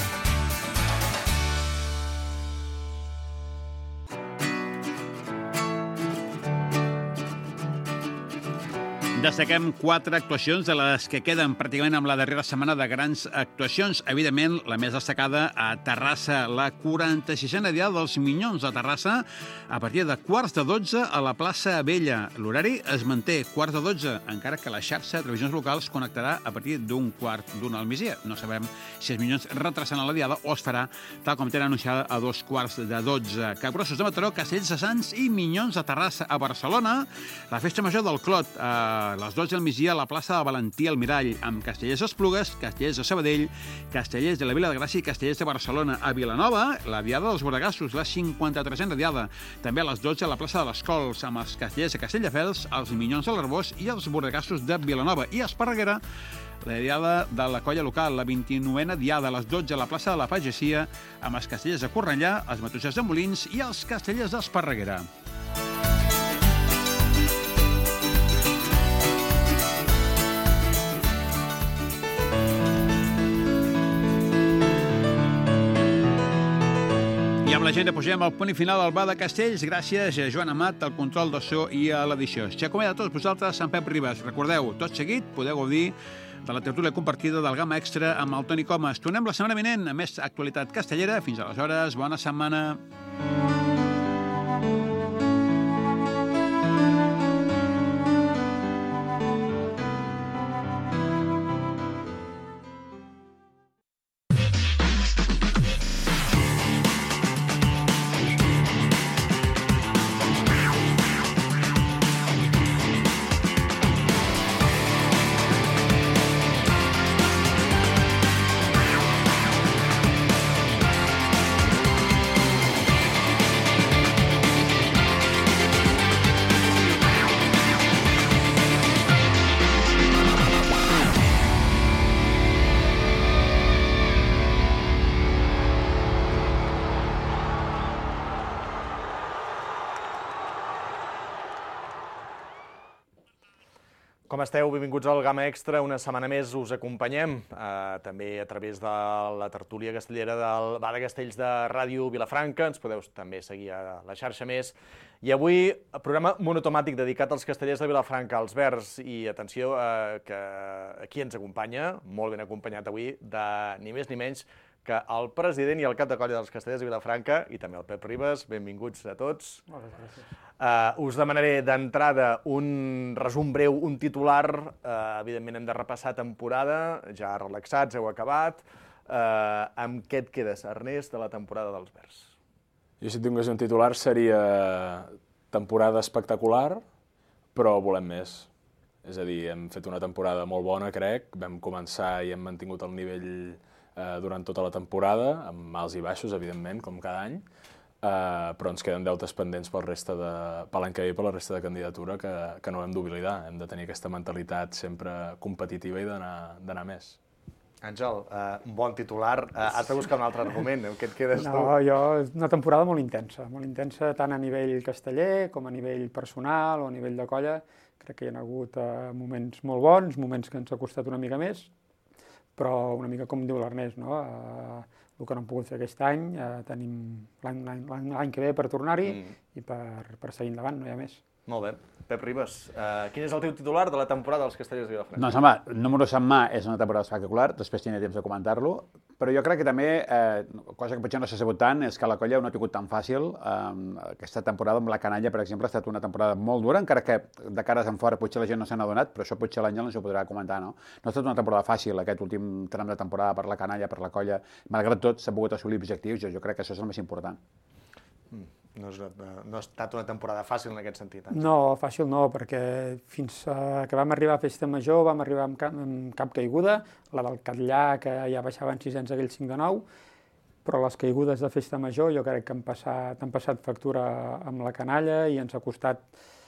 [SPEAKER 1] Destaquem quatre actuacions de les que queden pràcticament amb la darrera setmana de grans actuacions. Evidentment, la més destacada a Terrassa, la quaranta-sisena diada dels Minyons de Terrassa, a partir de quarts de dotze a la plaça Vella. L'horari es manté quarts de dotze, encara que la xarxa de televisions locals connectarà a partir d'un quart d'una al migdia. No sabem si els Minyons retrasaran la diada o es farà tal com tenen anunciada a dos quarts de dotze. Capgrossos de Mataró, Castells de Sants i Minyons de Terrassa. A Barcelona, la festa major del Clot, a a les dotze del migdia a la plaça de Valentí Almirall, amb Castellers d'Esplugues, Castellers de Sabadell, Castellers de la Vila de Gràcia i Castellers de Barcelona. A Vilanova, la diada dels bordegassos, la cinquanta-tresena diada. També a les dotze a la plaça de les Cols, amb els Castellers de Castelldefels, els Minyons de l'Arbós i els bordegassos de Vilanova. I a Esparreguera, la diada de la colla local, la vint-i-novena diada a les dotze a la plaça de la Pagesia, amb els Castellers de Cornellà, els Matossers de Molins i els Castellers d'Esparreguera. I amb l'agenda posem el punt i final al Bar de Castells. Gràcies a Joan Amat, al control de so i a l'edició. Xacomé a tots vosaltres, Sant Pep Ribes. Recordeu, tot seguit podeu gaudir de la tertúlia compartida del Gamma Extra amb el Toni Comas. Tornem la setmana vinent amb més actualitat castellera. Fins aleshores, bona setmana.
[SPEAKER 5] Com esteu? Benvinguts al Gamma Extra. Una setmana més us acompanyem, eh, també a través de la tertúlia castellera del Bar de Castells de Ràdio Vilafranca. Ens podeu també seguir a la xarxa més. I avui, programa monotomàtic dedicat als castellers de Vilafranca, als Verds. I atenció, eh, que aquí ens acompanya, molt ben acompanyat avui, de ni més ni menys que el president i el cap de colla dels castellers de Vilafranca, i també el Pep Ribas. Benvinguts a tots.
[SPEAKER 6] Moltes gràcies.
[SPEAKER 5] Uh, us demanaré d'entrada un resum breu, un titular. Uh, evidentment hem de repassar temporada, ja relaxats, heu acabat. Uh, amb què et quedes, Ernest, de la temporada dels Verds?
[SPEAKER 7] Jo, si tingués un titular, seria temporada espectacular, però volem més. És a dir, hem fet una temporada molt bona, crec. Vam començar i hem mantingut el nivell eh, durant tota la temporada, amb alts i baixos, evidentment, com cada any. Uh, però ens queden deutes pendents pel resta de, per l'any que ve i per la resta de candidatura que, que no hem d'oblidar. Hem de tenir aquesta mentalitat sempre competitiva i d'anar més.
[SPEAKER 5] Àngel, uh, un bon titular. Uh, has de buscar un altre argument. En què et quedes tu?
[SPEAKER 6] No, jo, és una temporada molt intensa, molt intensa tant a nivell casteller com a nivell personal o a nivell de colla. Crec que hi ha hagut uh, moments molt bons, moments que ens ha costat una mica més, però una mica com diu l'Ernest, no? Uh, el que no hem pogut fer aquest any, eh, tenim l'any que ve per tornar-hi mm. i per, per seguir endavant, no hi ha més.
[SPEAKER 5] Molt bé. Pep Ribas, uh, quin és el teu titular de la temporada dels castellers de Vilafranca?
[SPEAKER 1] Doncs home, números en mà és una temporada espectacular, després tindré temps de comentar-lo, però jo crec que també, eh, cosa que potser no s'ha sabut tant, és que la colla no ha tingut tan fàcil. Eh, aquesta temporada amb la canalla, per exemple, ha estat una temporada molt dura, encara que de cares en fora potser la gent no se n'ha adonat, però això potser l'Àngel no s'ho podrà comentar, no? No ha estat una temporada fàcil, aquest últim tram de temporada per la canalla, per la colla. Malgrat tot, s'ha pogut assolir objectius, jo, jo crec que això és el més important.
[SPEAKER 5] Mm. No, és, no ha estat una temporada fàcil en aquest sentit. Àngel.
[SPEAKER 6] No, fàcil no, perquè fins que vam arribar a Festa Major vam arribar amb cap, amb cap caiguda, la del Catllà, que ja baixaven sis-cents aquell cinc de nou, però les caigudes de Festa Major jo crec que han passat, han passat factura amb la canalla i ens ha costat,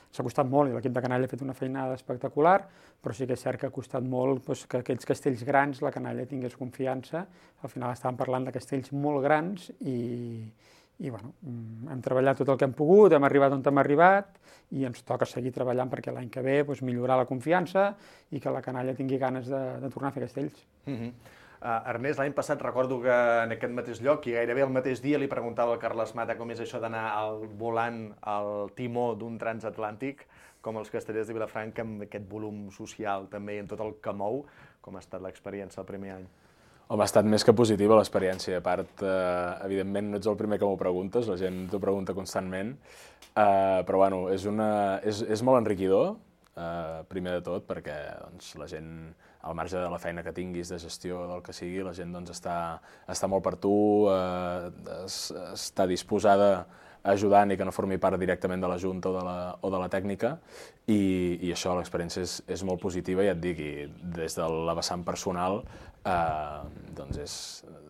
[SPEAKER 6] ens ha costat molt, i l'equip de canalla ha fet una feinada espectacular, però sí que és cert que ha costat molt doncs, que aquells castells grans la canalla tingués confiança. Al final estàvem parlant de castells molt grans i... I bueno, hem treballat tot el que hem pogut, hem arribat on hem arribat i ens toca seguir treballant perquè l'any que ve doncs, millorar la confiança i que la canalla tingui ganes de, de tornar a fer castells.
[SPEAKER 5] Mm-hmm. uh, Ernest, l'any passat recordo que en aquest mateix lloc i gairebé el mateix dia li preguntava al Carles Mata com és això d'anar al volant al timó d'un transatlàntic com els castellers de Vilafranca amb aquest volum social també i en tot el que mou. Com ha estat l'experiència el primer any?
[SPEAKER 7] Home, ha estat més que positiva l'experiència. A part, eh, evidentment, no ets el primer que m'ho preguntes, la gent t'ho pregunta constantment, eh, però bueno, és, una, és, és molt enriquidor, eh, primer de tot, perquè doncs, la gent, al marge de la feina que tinguis, de gestió, del que sigui, la gent doncs, està, està molt per tu, eh, es, està disposada ajudant i que no formi part directament de la Junta o de la, o de la tècnica, i, i això, l'experiència és, és molt positiva, ja et dic, i des de la vessant personal, eh, doncs és,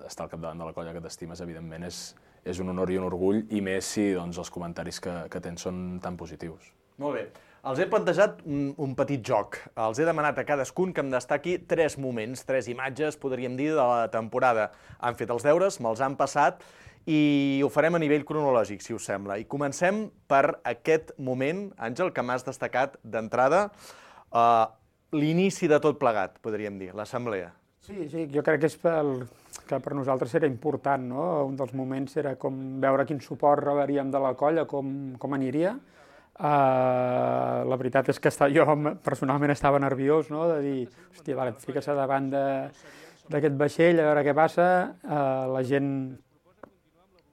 [SPEAKER 7] estar al capdavant de la colla que t'estimes, evidentment, és, és un honor i un orgull, i més si doncs, els comentaris que, que tens són tan positius.
[SPEAKER 5] Molt bé. Els he plantejat un, un petit joc. Els he demanat a cadascun que em destaqui tres moments, tres imatges, podríem dir, de la temporada. Han fet els deures, me'ls han passat, i ho farem a nivell cronològic, si us sembla. I comencem per aquest moment, Àngel, que m'has destacat d'entrada, uh, l'inici de tot plegat, podríem dir, l'assemblea.
[SPEAKER 6] Sí, sí, jo crec que és pel, que per nosaltres era important, no? Un dels moments era com veure quin suport rebríem de la colla, com, com aniria. Uh, la veritat és que està, jo personalment estava nerviós, no? De dir, hòstia, vale, fica-se davant d'aquest vaixell, a veure què passa. Uh, la gent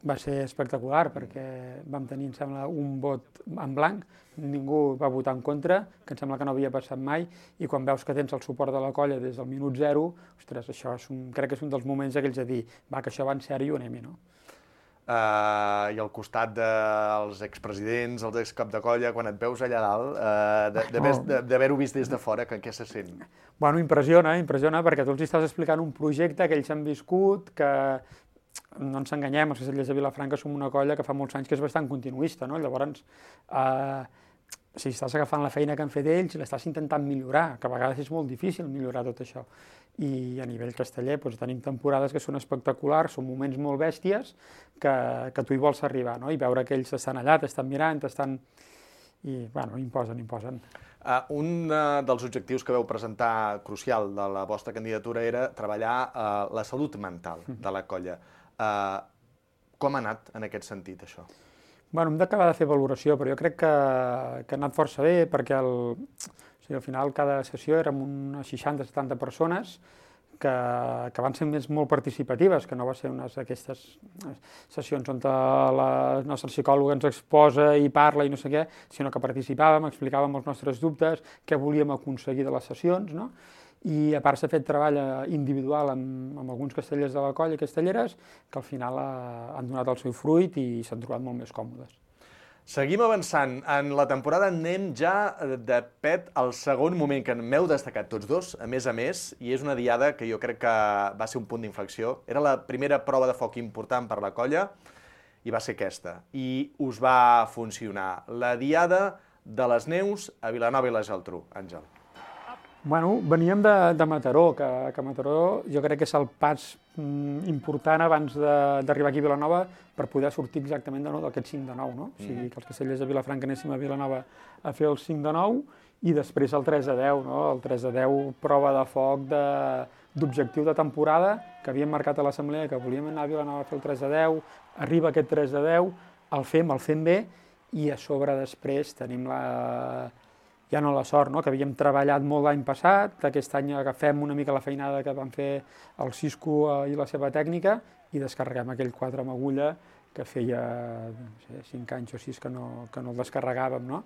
[SPEAKER 6] va ser espectacular perquè vam tenir, em sembla, un vot en blanc, ningú va votar en contra, que em sembla que no havia passat mai, i quan veus que tens el suport de la colla des del minut zero, ostres, això és un, crec que és un dels moments aquells de dir, va, que això va en sèrio, anem-hi, no?
[SPEAKER 5] Uh, I al costat dels expresidents, els excap de colla, quan et veus allà dalt, uh, d'haver-ho vist des de fora, que, què se sent?
[SPEAKER 6] Bueno, impressiona, impressiona, perquè tu els estàs explicant un projecte que ells han viscut, que no ens enganyem, els castellers de Vilafranca som una colla que fa molts anys que és bastant continuista, no? Llavors, eh, si estàs agafant la feina que han fet ells, l'estàs intentant millorar, que a vegades és molt difícil millorar tot això. I a nivell casteller doncs, tenim temporades que són espectaculars, són moments molt bèsties que, que tu hi vols arribar, no? I veure que ells estan allà, t'estan mirant, t'estan... i bueno, imposen, imposen.
[SPEAKER 5] Uh, un uh, dels objectius que veu presentar crucial de la vostra candidatura era treballar uh, la salut mental de la colla. Uh, com ha anat en aquest sentit, això?
[SPEAKER 6] Bueno, hem d'acabar de fer valoració, però jo crec que, que ha anat força bé, perquè el, o sigui, al final cada sessió érem unes seixanta setanta persones que, que van ser més molt participatives, que no va ser unes d'aquestes sessions on la nostra psicòloga ens exposa i parla i no sé què, sinó que participàvem, explicàvem els nostres dubtes, què volíem aconseguir de les sessions, no? I a part s'ha fet treball individual amb, amb alguns castellers de la colla i castelleres que al final ha, han donat el seu fruit i s'han trobat molt més còmodes.
[SPEAKER 5] Seguim avançant. En la temporada anem ja de pet al segon moment que m'heu destacat tots dos, a més a més, i és una diada que jo crec que va ser un punt d'inflexió. Era la primera prova de foc important per la colla i va ser aquesta. I us va funcionar. La diada de les neus a Vilanova i la Geltrú. Àngel.
[SPEAKER 6] Bueno, veníem de, de Mataró, que, que Mataró jo crec que és el pas mm, important abans d'arribar aquí a Vilanova per poder sortir exactament de nou d'aquest cinc de nou, no? O sigui, que els castellers de Vilafranca anéssim a Vilanova a fer el cinc de nou i després el tres de deu, no? El tres de deu, prova de foc d'objectiu de, de temporada que havíem marcat a l'assemblea, que volíem anar a Vilanova a fer el tres de deu, arriba aquest tres de deu, el fem, el fem bé i a sobre després tenim la... ja no la sort, no? Que havíem treballat molt l'any passat, aquest any agafem una mica la feinada que van fer el Cisco i la seva tècnica i descarreguem aquell quatre amb agulla que feia no sé, cinc anys o sis que no, que no el descarregàvem, no?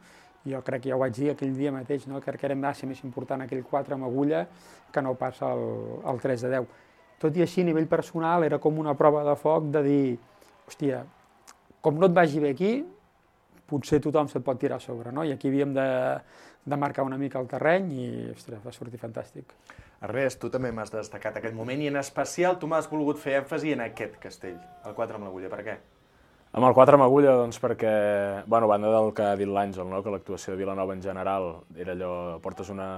[SPEAKER 6] Jo crec que ja ho vaig dir aquell dia mateix, no? Que era massa més important aquell quatre amb agulla que no passa el, el tres de deu. Tot i així, a nivell personal, era com una prova de foc de dir, hòstia, com no et vagi bé aquí, potser tothom se't pot tirar a sobre, no? I aquí havíem de, de marcar una mica el terreny i, ostres, va sortir fantàstic.
[SPEAKER 5] Ernest, tu també m'has destacat aquest moment i en especial tu m'has volgut fer èmfasi en aquest castell, el quatre amb l'agulla. Per què?
[SPEAKER 7] Amb el quatre amb agulla, doncs perquè, bueno, a banda del que ha dit l'Àngel, no? Que l'actuació de Vilanova en general era allò, portes una,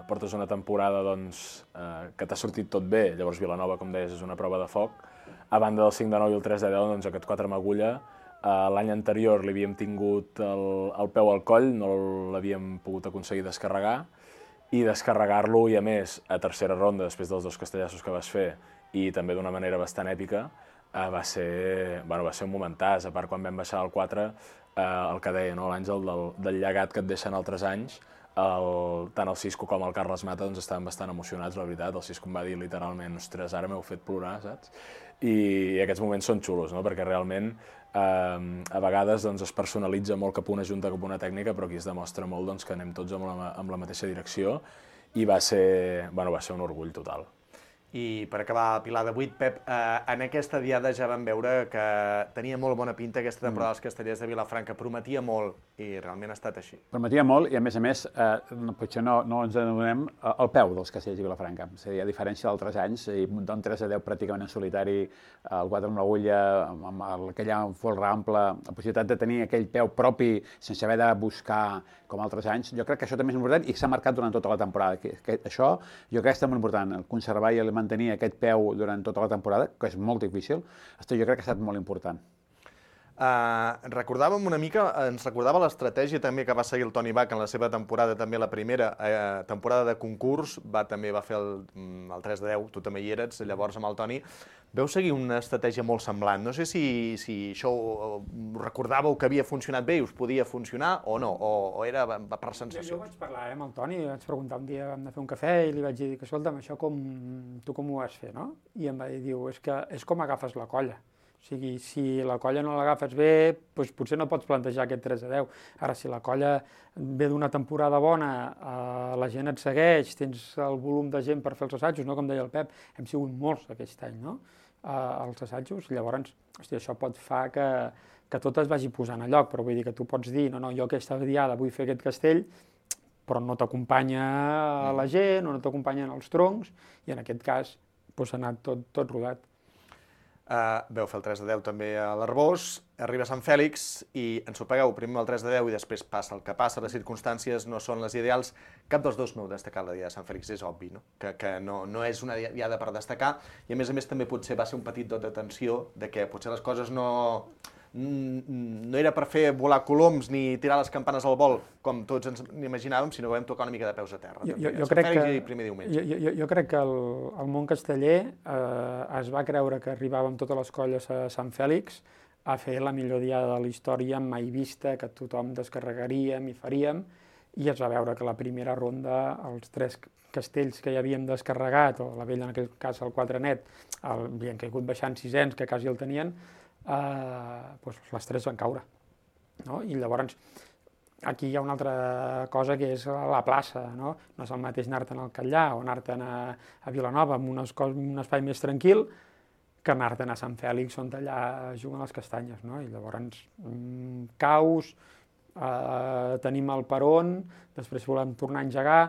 [SPEAKER 7] portes una temporada doncs, eh, que t'ha sortit tot bé, llavors Vilanova, com deies, és una prova de foc. A banda del cinc de nou i el tres de deu, doncs aquest quatre amb agulla, Uh, l'any anterior li havíem tingut el, el peu al coll, no l'havíem pogut aconseguir descarregar, i descarregar-lo, i a més, a tercera ronda, després dels dos castellassos que vas fer, i també d'una manera bastant èpica, uh, va, ser, bueno, va ser un momentàs. A part, quan vam baixar al quatre, uh, el que deia, no, l'Àngel, del, del llegat que et deixen altres anys, el, tant el Cisco com el Carles Mata doncs, estaven bastant emocionats, la veritat. El Cisco em va dir literalment, ostres, ara m'heu fet plorar, saps? I, i aquests moments són xulos, no? Perquè realment eh, a vegades doncs, es personalitza molt cap a una junta, cap a una tècnica, però aquí es demostra molt doncs, que anem tots amb la, amb la mateixa direcció i va ser, bueno, va ser un orgull total.
[SPEAKER 5] I per acabar, Pilar de vuit, Pep, eh, en aquesta diada ja vam veure que tenia molt bona pinta aquesta temporada dels castellers de Vilafranca, prometia molt i realment ha estat així.
[SPEAKER 1] Prometia molt i a més a més, eh, potser no, no ens adonem el peu dels castellers de Vilafranca. És a dir, a diferència d'altres anys, i muntar un tres a deu pràcticament en solitari, el quatre amb l'agulla, amb aquella folre ample, la possibilitat de tenir aquell peu propi sense haver de buscar com altres anys, jo crec que això també és important i s'ha marcat durant tota la temporada. Que, que això jo crec que és molt important, conservar i mantenir aquest peu durant tota la temporada, que és molt difícil, jo crec que ha estat molt important.
[SPEAKER 5] Uh, recordàvem una mica, ens recordava l'estratègia també que va seguir el Toni Bach en la seva temporada, també la primera eh, temporada de concurs, va, també va fer el, el tres de deu, tu també hi eres, llavors amb el Toni. Veu seguir una estratègia molt semblant. No sé si, si això ho recordàveu que havia funcionat bé i us podia funcionar o no, o, o era per sensació.
[SPEAKER 6] Jo vaig parlar eh, amb el Toni, vaig preguntar un dia, vam anar a fer un cafè i li vaig dir que, escolta'm, això com, tu com ho vas fer, no? I em va dir, diu, és que és com agafes la colla. O sigui, si la colla no l'agafes bé, doncs potser no pots plantejar aquest tres a deu. Ara, si la colla ve d'una temporada bona, eh, la gent et segueix, tens el volum de gent per fer els assajos, no? Com deia el Pep, hem sigut molts aquest any, no? Eh, els assajos, llavors, hosti, això pot fer que, que tot es vagi posant a lloc, però vull dir que tu pots dir, no, no, jo aquesta diada vull fer aquest castell, però no t'acompanya la gent, o no t'acompanyen els troncs, i en aquest cas doncs, ha anat tot, tot rodat.
[SPEAKER 5] Uh, veu fer el tres de deu també a l'Arbós, arriba a Sant Fèlix i ens ho pagueu primer el tres de deu i després passa el que passa, les circumstàncies no són les ideals. Cap dels dos m'heu destacat la diada de Sant Fèlix, és obvi, no? Que, que no, no és una diada per destacar i a més a més també potser va ser un petit dot d'atenció de que potser les coses no, no era per fer volar coloms ni tirar les campanes al vol, com tots ens imaginàvem, sinó que vam tocar una mica de peus a terra.
[SPEAKER 6] Jo,
[SPEAKER 5] també,
[SPEAKER 6] jo,
[SPEAKER 5] Sant
[SPEAKER 6] crec
[SPEAKER 5] Fèlix
[SPEAKER 6] que,
[SPEAKER 5] i primer diumenge.
[SPEAKER 6] jo, jo, jo crec que el, el món casteller eh, es va creure que arribàvem totes les colles a Sant Fèlix a fer la millor diada de la història mai vista, que tothom descarregaríem i faríem, i es va veure que la primera ronda, els tres castells que ja havíem descarregat, o la vella en aquell cas el quatre net, el, havien caigut baixant sisens, que quasi el tenien, eh, doncs les tres van caure. No? I llavors aquí hi ha una altra cosa que és la plaça, no? No és el mateix anar-te'n al Catllà o anar-te'n a, a Vilanova amb un, un espai més tranquil que anar-te'n a Sant Fèlix on allà juguen les castanyes, no? I llavors mmm, caus, eh, tenim el peron, després volem tornar a engegar,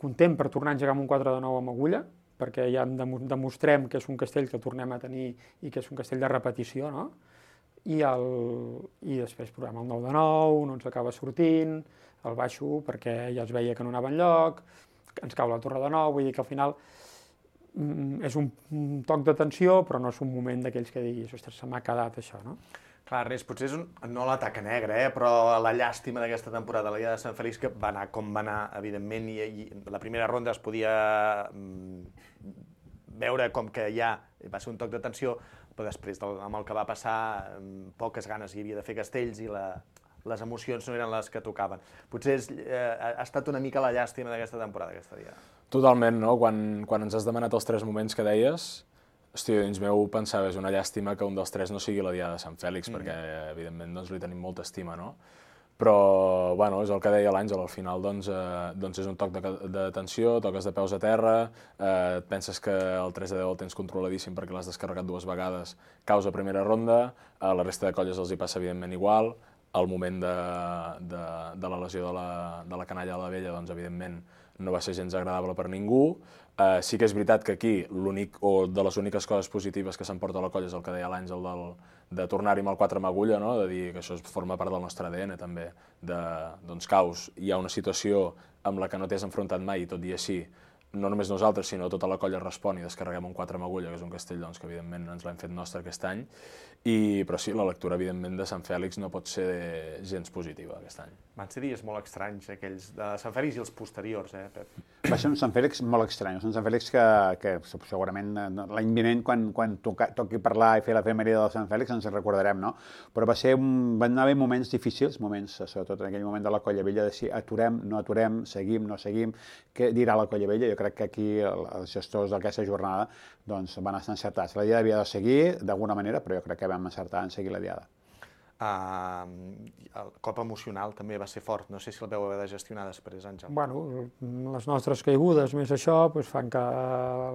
[SPEAKER 6] content per tornar a engegar amb un quatre de nou amb agulla, perquè ja demostrem que és un castell que tornem a tenir i que és un castell de repetició, no? I, el, i després provem el nou de nou, no ens acaba sortint, el baixo perquè ja es veia que no anava enlloc, ens cau la torre de nou, vull dir que al final mm, és un, un toc de tensió, però no és un moment d'aquells que diguis, ostres, se m'ha quedat això, no?
[SPEAKER 5] Clar, Ernest, potser és un, no la taca negra, eh, però la llàstima d'aquesta temporada, la Diada de Sant Fèlix, que va anar com va anar, evidentment, i, i la primera ronda es podia mm, veure com que ja va ser un toc de tensió, però després del, amb el que va passar, poques ganes hi havia de fer castells i la, les emocions no eren les que tocaven. Potser és, eh, ha estat una mica la llàstima d'aquesta temporada, aquesta Diada.
[SPEAKER 7] Totalment, no? Quan, quan ens has demanat els tres moments que deies, hosti, dins meu pensava, és una llàstima que un dels tres no sigui la Diada de Sant Fèlix, mm. perquè, evidentment, doncs, li tenim molta estima, no? Però, bueno, és el que deia l'Àngel, al final doncs, eh, doncs és un toc de, de tensió, toques de peus a terra, eh, et penses que el tres de deu el tens controladíssim perquè l'has descarregat dues vegades, caus a primera ronda, a la resta de colles els hi passa evidentment igual, al moment de, de, de la lesió de la, de la canalla de la vella, doncs evidentment no va ser gens agradable per ningú. Uh, sí que és veritat que aquí l'únic, o de les úniques coses positives que s'emporta a la colla és el que deia l'Àngel del, de tornar-hi amb el quatre amb agulla, no? De dir que això forma part del nostre A D N també, de, doncs caus, hi ha una situació amb la que no t'has enfrontat mai i tot i així, no només nosaltres, sinó tota la colla respon i descarreguem un quatre amb agulla, que és un castell doncs, que evidentment ens l'hem fet nostre aquest any, i, però sí, la lectura evidentment de Sant Fèlix no pot ser gens positiva aquest any.
[SPEAKER 5] Van ser dies molt estranys aquells de Sant Fèlix i els posteriors, eh, Pep?
[SPEAKER 1] Va ser un Sant Fèlix molt estrany, un Sant Fèlix que, que segurament l'any vinent, quan, quan toca, toqui parlar i fer l'efemèride del Sant Fèlix, ens recordarem, no? Però va ser un, van haver moments difícils, moments, sobretot en aquell moment de la Colla Vella, de si aturem, no aturem, seguim, no seguim, què dirà la Colla Vella? Jo crec que aquí els gestors d'aquesta jornada doncs, van estar encertats. La Diada havia de seguir d'alguna manera, però jo crec que vam encertar en seguir la Diada.
[SPEAKER 5] Uh, el cop emocional també va ser fort, no sé si el vau haver de gestionar després, Àngel.
[SPEAKER 6] Bueno, les nostres caigudes més això doncs, fan que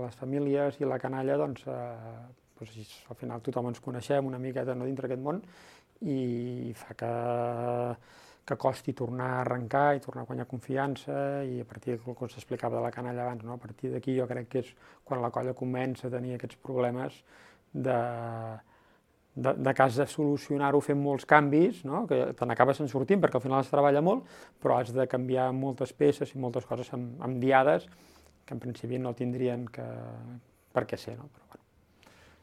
[SPEAKER 6] les famílies i la canalla doncs, eh, doncs, al final tothom ens coneixem una miqueta no, dintre aquest món i fa que, que costi tornar a arrencar i tornar a guanyar confiança i a partir del que s'explicava de la canalla abans, no? A partir d'aquí jo crec que és quan la colla comença a tenir aquests problemes de de, de cas de solucionar-ho fent molts canvis, no? Que te n'acabes en sortint perquè al final es treballa molt, però has de canviar moltes peces i moltes coses amb, amb diades que en principi no tindrien que, per què ser. No? Però, bueno.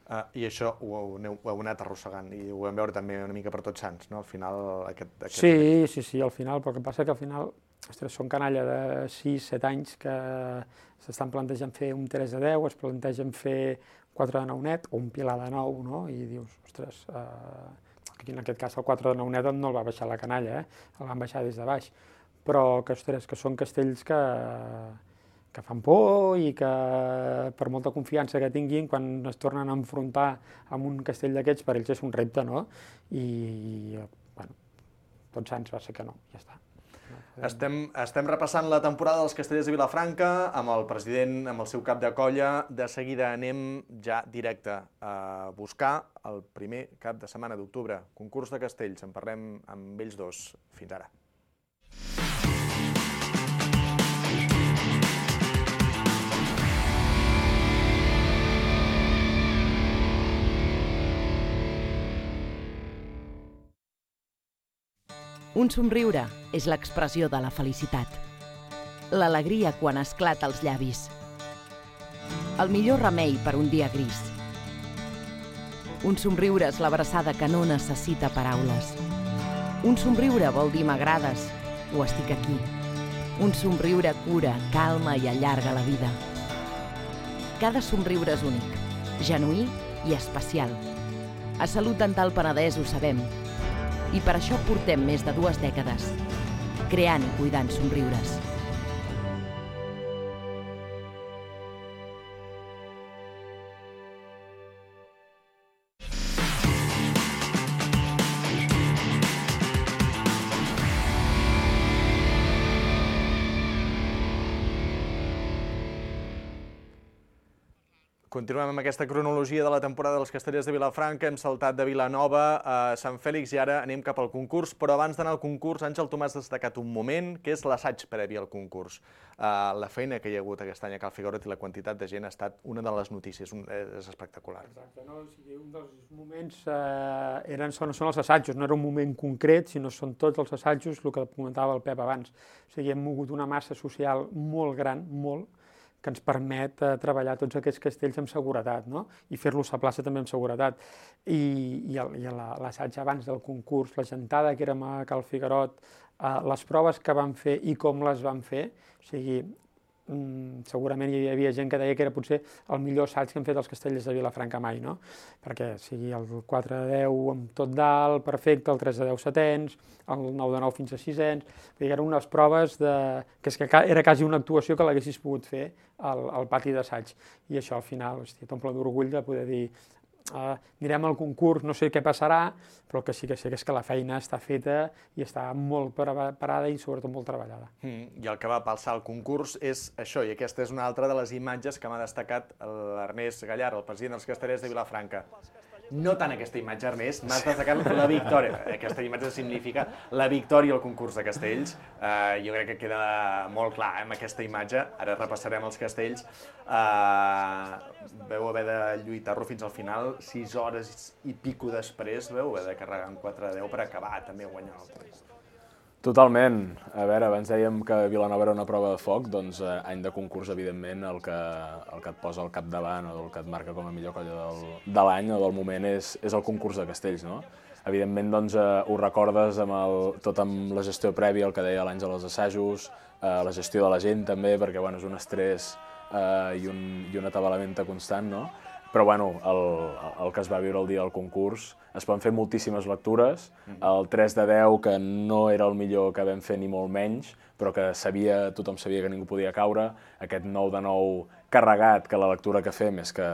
[SPEAKER 5] Uh, I això ho heu, ho heu anat arrossegant i ho vam veure també una mica per Tots Sants, no? Al final... Aquest, aquest...
[SPEAKER 6] Sí, sí, sí, al final, però el que passa que al final, ostres, són canalla de sis set anys que s'estan plantejant fer un tres de deu, es plantegen fer quatre de nou net o un pilar de nou, no? I dius, ostres, eh, aquí en aquest cas el quatre de nou net no el va baixar la canalla, eh? El van baixar des de baix, però que, ostres, que són castells que, que fan por i que per molta confiança que tinguin, quan es tornen a enfrontar amb un castell d'aquests, per ells és un repte, no? I, bueno, Tots Sants va ser que no, ja està.
[SPEAKER 5] Estem, estem repassant la temporada dels Castellers de Vilafranca amb el president, amb el seu cap de colla. De seguida anem ja directe a buscar el primer cap de setmana d'octubre. Concurs de castells, en parlem amb ells dos. Fins ara.
[SPEAKER 8] Un somriure és l'expressió de la felicitat. L'alegria quan esclata als llavis. El millor remei per un dia gris. Un somriure és l'abraçada que no necessita paraules. Un somriure vol dir m'agrades o estic aquí. Un somriure cura, calma i allarga la vida. Cada somriure és únic, genuí i especial. A Salut Dental Penedès ho sabem. I per això portem més de dues dècades creant i cuidant somriures.
[SPEAKER 5] Continuem amb aquesta cronologia de la temporada dels Castellers de Vilafranca. Hem saltat de Vilanova a Sant Fèlix i ara anem cap al concurs. Però abans d'anar al concurs, Àngel, tu m'has destacat un moment, que és l'assaig previ al concurs. Uh, la feina que hi ha hagut aquest any a Cal Figueroa i la quantitat de gent ha estat una de les notícies. Un, és espectacular.
[SPEAKER 6] Exacte, no? O sigui, un dels moments uh, eren, són, són els assajos, no era un moment concret, sinó són tots els assajos, el que comentava el Pep abans. O sigui, hem mogut una massa social molt gran, molt, que ens permet eh, treballar tots aquests castells amb seguretat, no? I fer-los a plaça també amb seguretat. I, i, el, i l'assaig abans del concurs, la gentada que érem a Cal Figueroa, eh, les proves que vam fer i com les vam fer, o sigui, mm, segurament hi havia gent que deia que era potser el millor assaig que hem fet els Castellers de Vilafranca mai, no? Perquè o sigui, el quatre de deu amb tot dalt, perfecte, el tres de deu setens, el nou de nou fins a sisens, eren unes proves de... que, és que era quasi una actuació que l'haguessis pogut fer al, al pati d'assaig. I això al final, hòstia, t'omple d'orgull de poder dir uh, anirem al concurs, no sé què passarà, però el que sí que sé que és que la feina està feta i està molt parada i sobretot molt treballada.
[SPEAKER 5] Mm, I el que va palsar al concurs és això, i aquesta és una altra de les imatges que m'ha destacat l'Ernest Gallar, el president dels Castellers de Vilafranca. No tant aquesta imatge, Ernest, m'has destacat la victòria. Aquesta imatge significa la victòria al concurs de castells. Uh, jo crec que queda molt clar eh, amb aquesta imatge. Ara repassarem els castells. Uh, veu haver de lluitar-lo fins al final, sis hores i pico després, veu haver de carregar en quatre de deu per acabar també guanyant el concurs.
[SPEAKER 7] Totalment. A veure, abans dèiem que Vilanova era una prova de foc, doncs eh, any de concurs, evidentment, el que, el que et posa al capdavant o el que et marca com a millor colla del, de l'any o del moment és, és el concurs de castells, no? Evidentment, doncs, eh, ho recordes amb el, tot amb la gestió prèvia, el que deia l'Àngel als assajos, eh, la gestió de la gent també, perquè bueno, és un estrès eh, i, un, i un atabalament constant, no? Però bueno, el, el que es va viure el dia del concurs, es van fer moltíssimes lectures, el tres de deu, que no era el millor que vam fer ni molt menys, però que sabia, tothom sabia que ningú podia caure, aquest nou de nou carregat, que la lectura que fem és que,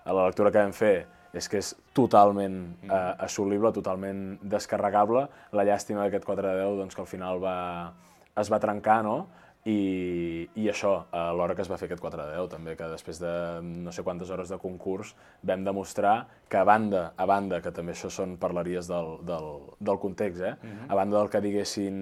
[SPEAKER 7] la lectura que vam fer és que és totalment eh, assolible, totalment descarregable. La llàstima d'aquest quatre de deu, doncs, que al final va, es va trencar, no? I, i això, a l'hora que es va fer aquest quatre de deu, també, que després de no sé quantes hores de concurs vam demostrar que a banda, a banda, que també això són parlaries del, del, del context, eh? Uh-huh. A banda del que diguessin,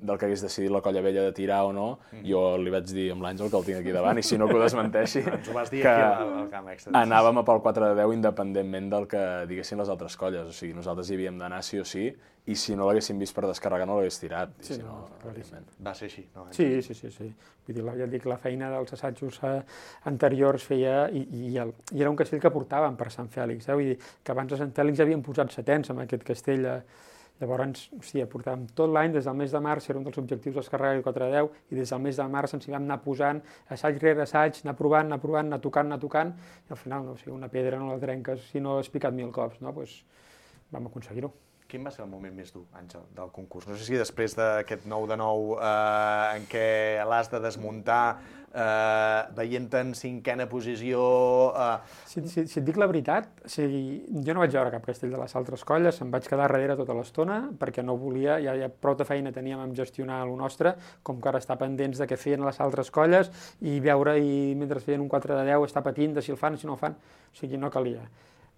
[SPEAKER 7] del que hagués decidit la Colla Vella de tirar o no, uh-huh. Jo li vaig dir amb l'Àngel, que el tinc aquí davant, i si no que ho desmenteixi,
[SPEAKER 5] ens ho vas dir
[SPEAKER 7] que
[SPEAKER 5] aquí al, al camp extra.
[SPEAKER 7] Anàvem a pel quatre de deu independentment del que diguessin les altres colles, o sigui, nosaltres hi havíem d'anar sí o sí, i si no l'haguéssim vist per descarregar no l'hagués tirat.
[SPEAKER 6] Sí,
[SPEAKER 7] si no,
[SPEAKER 6] no,
[SPEAKER 5] va ser així. No?
[SPEAKER 6] Sí, sí, sí, sí. Vull dir, ja dic, la feina dels assajos eh, anteriors feia, i, i, el, i era un castell que portàvem per Sant Fèlix, eh? Vull dir, que abans a Sant Fèlix havíem posat setens amb aquest castell. Eh? Llavors, hòstia, portàvem tot l'any, des del mes de març, era un dels objectius descarregar el quatre de deu, i des del mes de març ens hi vam anar posant assaig rere assaig, anar provant, anar provant, anar tocant, anar tocant, i al final, no, o sigui, una pedra no la trenques si no has picat mil cops, no? Pues, vam aconseguir-ho.
[SPEAKER 5] Quin va ser el moment més dur, Àngel, del concurs? No sé si després d'aquest nou de nou eh, en què l'has de desmuntar, eh, veient en cinquena posició... Eh...
[SPEAKER 6] Si, si, si et dic la veritat, o sigui, jo no vaig veure cap castell de les altres colles, em vaig quedar darrere tota l'estona, perquè no volia, ja, ja prou de feina teníem amb gestionar el nostre, com que ara estar pendents de què feien les altres colles, i veure, i mentre feien un quatre de deu, estar patint de si el fan, si no el fan, o sigui, no calia.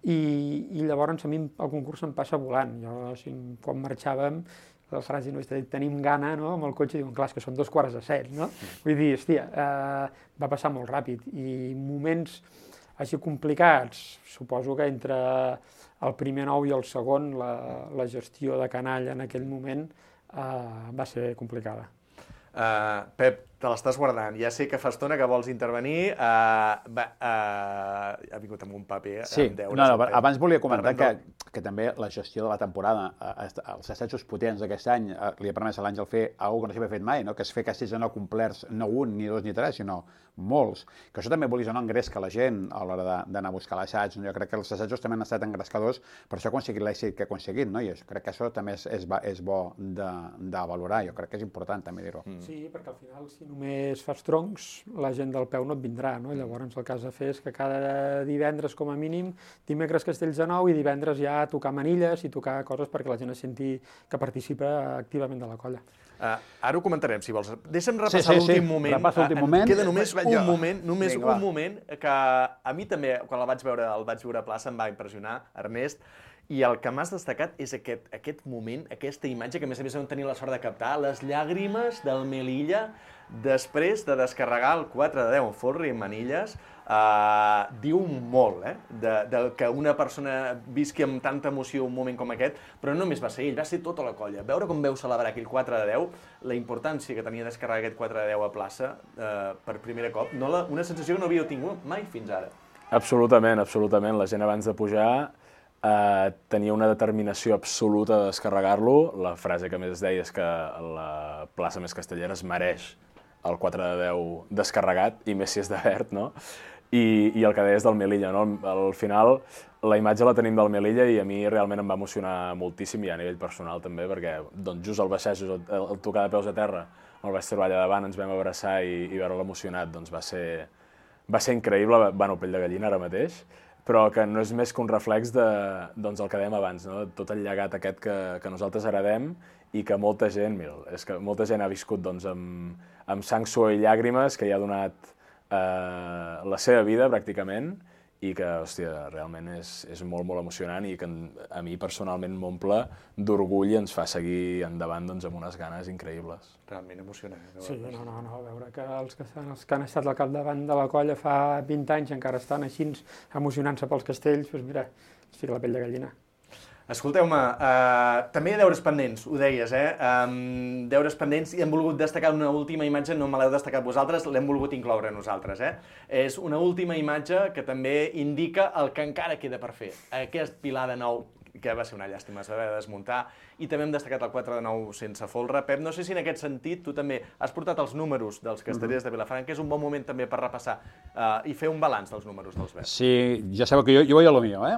[SPEAKER 6] I, i llavors a mi el concurs em passa volant. Jo, o sigui, quan marxàvem, la frase no és de tenim gana, no? Amb el cotxe diuen, clar, que són dos quarts de set, no? Vull dir, hòstia, eh, va passar molt ràpid. I moments així complicats, suposo que entre el primer nou i el segon, la, la gestió de canalla en aquell moment eh, va ser complicada.
[SPEAKER 5] Uh, Pep, te l'estàs guardant. Ja sé que fa estona que vols intervenir. Uh, va, uh, ha vingut amb un paper
[SPEAKER 1] sí.
[SPEAKER 5] amb deures.
[SPEAKER 1] No, no, abans volia comentar que,
[SPEAKER 5] no.
[SPEAKER 1] que també la gestió de la temporada, els assajos potents d'aquest any, li ha permès a l'Àngel fer alguna cosa que no s'havia fet mai, no? Que és fer castells no complerts, no un, ni dos, ni tres, sinó molts. Que això també, volies o no, engresca la gent a l'hora d'anar a buscar l'assaig. Jo crec que els assajos també han estat engrescadors, per això ha aconseguit l'èxit que ha aconseguit, no? I jo crec que això també és, és, és bo de, de valorar. Jo crec que és important també dir-ho.
[SPEAKER 6] Mm. Sí, perquè al final, si només fas troncs, la gent del peu no et vindrà, no? Llavors, el que has de fer és que cada divendres, com a mínim, dimecres Castells de Nou i divendres ja tocar manilles i tocar coses perquè la gent es senti que participa activament de la colla.
[SPEAKER 5] Uh, ara ho comentarem, si vols. Deixa'm repassar
[SPEAKER 1] sí, sí,
[SPEAKER 5] l'últim
[SPEAKER 1] sí.
[SPEAKER 5] moment.
[SPEAKER 1] Repassa l'últim moment.
[SPEAKER 5] Queda només
[SPEAKER 1] Vaig
[SPEAKER 5] un
[SPEAKER 1] jo.
[SPEAKER 5] moment, només
[SPEAKER 1] Vinga,
[SPEAKER 5] un
[SPEAKER 1] va.
[SPEAKER 5] moment que a mi també, quan el vaig veure, el vaig veure a plaça, em va impressionar, Ernest, i el que m'has destacat és aquest, aquest moment, aquesta imatge, que a més a més vam tenir la sort de captar, les llàgrimes del Melilla després de descarregar el quatre de deu en folre i en manilles. Uh, diu molt, eh? De, de que una persona visqui amb tanta emoció un moment com aquest, però no només va ser ell, va ser tota la colla. Veure com veu celebrar aquell quatre de deu, la importància que tenia descarregar aquest quatre de deu a plaça uh, per primer cop, no la, una sensació que no havíeu tingut mai fins ara.
[SPEAKER 7] Absolutament, absolutament. La gent abans de pujar eh, tenia una determinació absoluta de descarregar-lo. La frase que més es deia és que la plaça més castellera es mereix el quatre de deu descarregat, i més si és de verd, no? I, i el que deies del Melilla, no? Al final, la imatge la tenim del Melilla i a mi realment em va emocionar moltíssim, i a nivell personal també, perquè doncs, just al baixar, just el, el tocar de peus a terra, el vaig trobar allà davant, ens vam abraçar i, i veure'l emocionat, doncs va ser, va ser increïble, bueno, pell de gallina ara mateix, però que no és més que un reflex de, doncs, el que dèiem abans, no? Tot el llegat aquest que, que nosaltres heredem i que molta gent, mira, és que molta gent ha viscut doncs, amb, amb sang, suor i llàgrimes, que hi ha donat eh, la seva vida pràcticament, i que, hòstia, realment és, és molt, molt emocionant i que a mi personalment m'omple d'orgull i ens fa seguir endavant doncs, amb unes ganes increïbles.
[SPEAKER 5] Realment emocionant.
[SPEAKER 6] Sí, no, no, no, veure que els que, els que han estat al capdavant de la colla fa vint anys encara estan així emocionant-se pels castells, doncs mira, es fica la pell de gallina.
[SPEAKER 5] Escolteu-me, uh, també hi ha deures pendents, ho deies, eh? Um, deures pendents, i hem volgut destacar una última imatge, no me l'heu destacat vosaltres, l'hem volgut incloure nosaltres, eh? És una última imatge que també indica el que encara queda per fer. Aquest pilar de nou, que va ser una llàstima, es va haver de desmuntar, i també hem destacat el quatre de nou sense folre. Pep, no sé si en aquest sentit tu també has portat els números dels castellers de Vilafranca, que és un bon moment també per repassar uh, i fer un balanç dels números dels verds.
[SPEAKER 1] Sí, ja sabeu que jo, jo voy a lo mío, eh?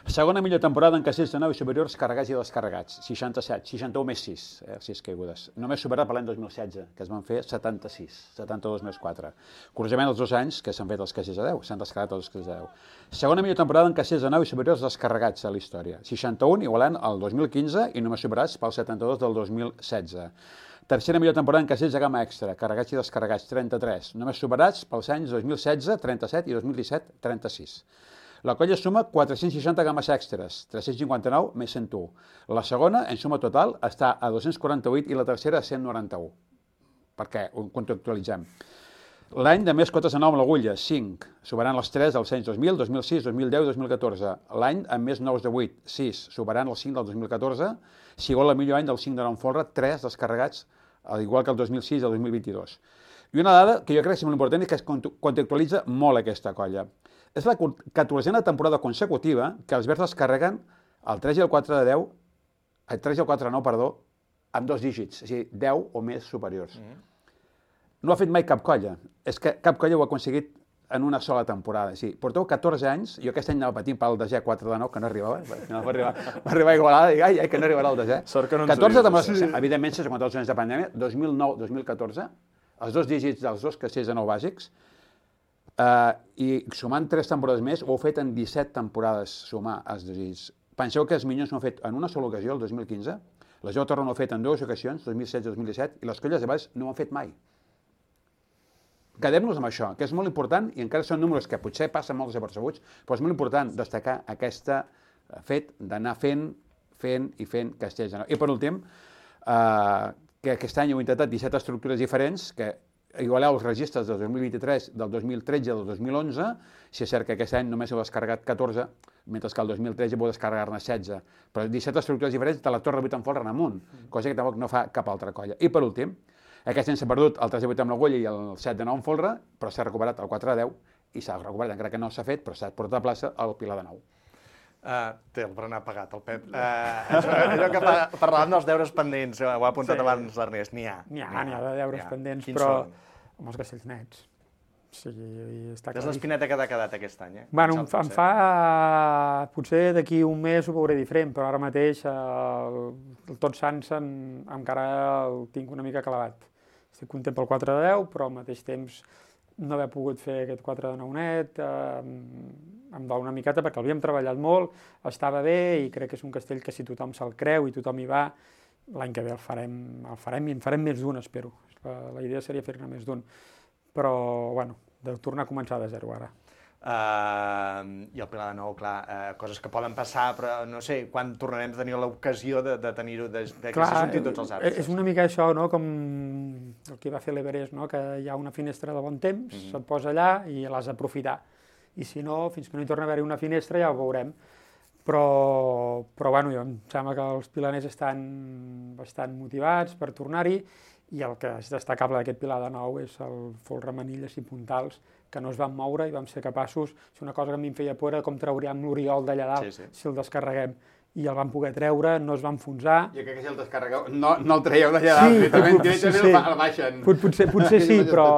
[SPEAKER 1] Segona millor temporada en castells de nou i superiors carregats i descarregats, seixanta-set, seixanta-u més sis, eh, sis caigudes. Només superat per l'any dos mil setze, que es van fer setanta-sis, setanta-dos més quatre. Curiosament, els dos anys que s'han fet els castells de deu, s'han descarregat els castells de deu. Segona millor temporada en castells de nou i superiors descarregats a la història, seixanta-un igualant el dos mil quinze i només superats pel setanta-dos del dos mil setze. Tercera millor temporada en castells de gamma extra, carregats i descarregats, trenta-tres, només superats pels anys dos mil setze, trenta-set i dos mil disset, trenta-sis. La colla suma quatre-cents seixanta games extres, tres-cents cinquanta-nou més cent u. La segona, en suma total, està a dos-cents quaranta-vuit i la tercera a cent noranta-u. Per què? Ho contextualitzem. L'any de més cotes de nou amb l'agulla, cinc, superant les tres dels anys dos mil, dos mil sis, dos mil deu i dos mil catorze. L'any amb més nous de vuit, sis, superant els cinc del dos mil catorze. Si vol el millor any del cinc de nou en folre, tres descarregats, al igual que el dos mil sis i el dos mil vint-i-dos. I una dada que jo crec que és molt important i que es contextualitza molt aquesta colla. És la catorzena temporada consecutiva que els verds es carreguen el tres i el quatre de deu, el tres i el quatre de nou, perdó, amb dos dígits, és a dir, deu o més superiors. Mm. No ho ha fet mai cap colla. És que cap colla ho ha aconseguit en una sola temporada. Sí, porteu catorze anys, jo aquest any anava patint pel desè quatre de nou, que no arribava, no va arribar, va arribar a Igualada, i ai, ai, que no arribarà el desè.
[SPEAKER 7] Sort que no ens
[SPEAKER 1] catorze
[SPEAKER 7] ho dius,
[SPEAKER 1] temporades,
[SPEAKER 7] sí.
[SPEAKER 1] Evidentment, sense comptar els anys de pandèmia, dos mil nou dos mil catorze, els dos dígits dels dos castells de nou bàsics, Uh, i sumant tres temporades més, ho heu fet en disset temporades, sumar els dos dígits. Penseu que els Minyons ho han fet en una sola ocasió, el dos mil quinze, la Jou Torre ho ha fet en dues ocasions, dos mil setze i dos mil disset, i les colles de baix no ho han fet mai. Quedem-nos amb això, que és molt important, i encara són números que potser passen molt desapercebuts, però és molt important destacar aquest fet d'anar fent, fent i fent castells de nou. I per últim, uh, que aquest any heu intentat disset estructures diferents, que igualeu els registres del dos mil vint-i-tres, del dos mil tretze i del dos mil onze, si és cert que aquest any només heu descarregat catorze, mentre que el dos mil tretze vau descarregar-ne setze, però disset estructures diferents de la Torre vuit en folre en amunt, cosa que tampoc no fa cap altra colla. I per últim, Aquest any s'ha perdut el tres de vuit amb l'Agulla i el set de nou amb Folra, però s'ha recuperat el quatre de deu i s'ha recuperat, encara que no s'ha fet, però s'ha portat a plaça el Pilar de nou.
[SPEAKER 5] Uh, té el berenar pagat, el Pep. Uh, allò que pa, parlàvem dels deures pendents, ho ha apuntat sí. abans l'Ernest, n'hi ha.
[SPEAKER 6] N'hi ha, n'hi ha de deures pendents,
[SPEAKER 5] Quins
[SPEAKER 6] però
[SPEAKER 5] són?
[SPEAKER 6] amb els castells nets. O sigui, està
[SPEAKER 5] és l'espineta que t'ha quedat aquest any, eh?
[SPEAKER 6] Bueno, em fa, em fa... Potser d'aquí un mes ho veuré diferent, però ara mateix el, el Tots Sants en, encara el tinc una mica clavat. Estic content pel quatre de deu, però al mateix temps no haver pogut fer aquest quatre de nou net, eh, em dol una miqueta perquè l'havíem treballat molt, estava bé i crec que és un castell que si tothom se'l creu i tothom hi va, l'any que ve el farem, el farem i en farem més d'un, espero. La, la idea seria fer-ne més d'un. Però, bueno, de tornar a començar de zero ara.
[SPEAKER 5] Uh, I el Pilar de Nou, clar, uh, coses que poden passar, però no sé, quan tornarem a tenir l'ocasió de, de tenir-ho, de, de que se sentin tots els arbres.
[SPEAKER 6] És una mica això, no?, com el que va fer l'Everest, no?, que hi ha una finestra de bon temps, mm-hmm. se't posa allà i l'has d'aprofitar. I si no, fins que no hi torna a haver-hi una finestra ja ho veurem. Però, però bueno, em sembla que els pilaners estan bastant motivats per tornar-hi i el que és destacable d'aquest Pilar de Nou és el folre, manilles i puntals que no es van moure i vam ser capaços, és una cosa que a mi em feia por, com trauríem l'Oriol d'allà dalt sí, sí. si el descarreguem. I el vam poder treure, no es va enfonsar.
[SPEAKER 1] Jo crec que si el descarregueu, no, no el traieu d'allà dalt, sí, directament, directament sí, sí. el baixen.
[SPEAKER 6] Potser, potser sí, però,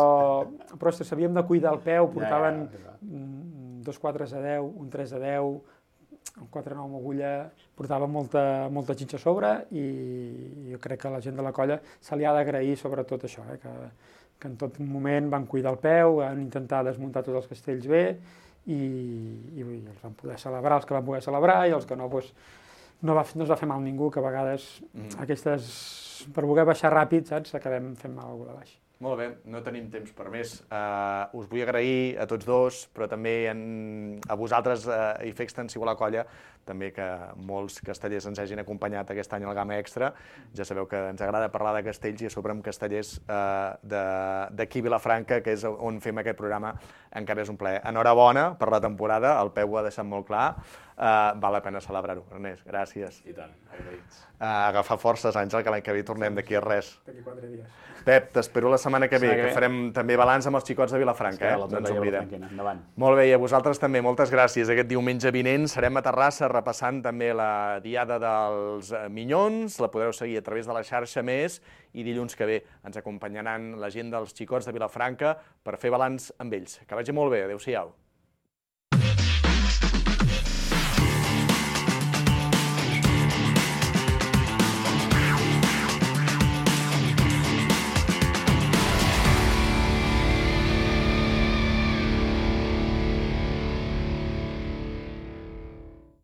[SPEAKER 6] però sabíem de cuidar el peu, portaven ja, ja, ja. dos quatre a deu, un tres a deu, un quatre nou amb agulla, portava molta, molta xitxa a sobre i jo crec que la gent de la colla se li ha d'agrair sobretot això, eh, que, que en tot moment van cuidar el peu, van intentar desmuntar tots els castells bé i, i, i els van poder celebrar, els que van poder celebrar i els que no, doncs, no, va, no es va fer mal ningú, que a vegades mm. aquestes, per voler baixar ràpid, saps, acabem fent mal a algú de baix.
[SPEAKER 5] Molt bé, no tenim temps per més. Uh, us vull agrair a tots dos, però també en, a vosaltres uh, i fer extensiu a la colla, també que molts castellers ens hagin acompanyat aquest any al Gamma Extra. Ja sabeu que ens agrada parlar de castells i a sobre amb castellers uh, d'aquí Vilafranca, que és on fem aquest programa, encara és un plaer. Enhorabona per la temporada, el Peu ho ha deixat molt clar. Uh, val la pena celebrar-ho. Ernest, gràcies.
[SPEAKER 7] I tant, agraïts.
[SPEAKER 5] Uh, agafar forces, Àngel, que l'any que ve tornem d'aquí a res.
[SPEAKER 6] D'aquí quatre dies.
[SPEAKER 5] Pep, t'espero la setmana que ve, que farem també balanç amb els xicots de Vilafranca, eh? No ens oblidem. Molt bé, i a vosaltres també, moltes gràcies. Aquest diumenge vinent serem a Terrassa repassant també la diada dels Minyons, la podreu seguir a través de la xarxa Més, i dilluns que ve ens acompanyaran la gent dels xicots de Vilafranca per fer balanç amb ells. Que vagi molt bé, adéu-siau.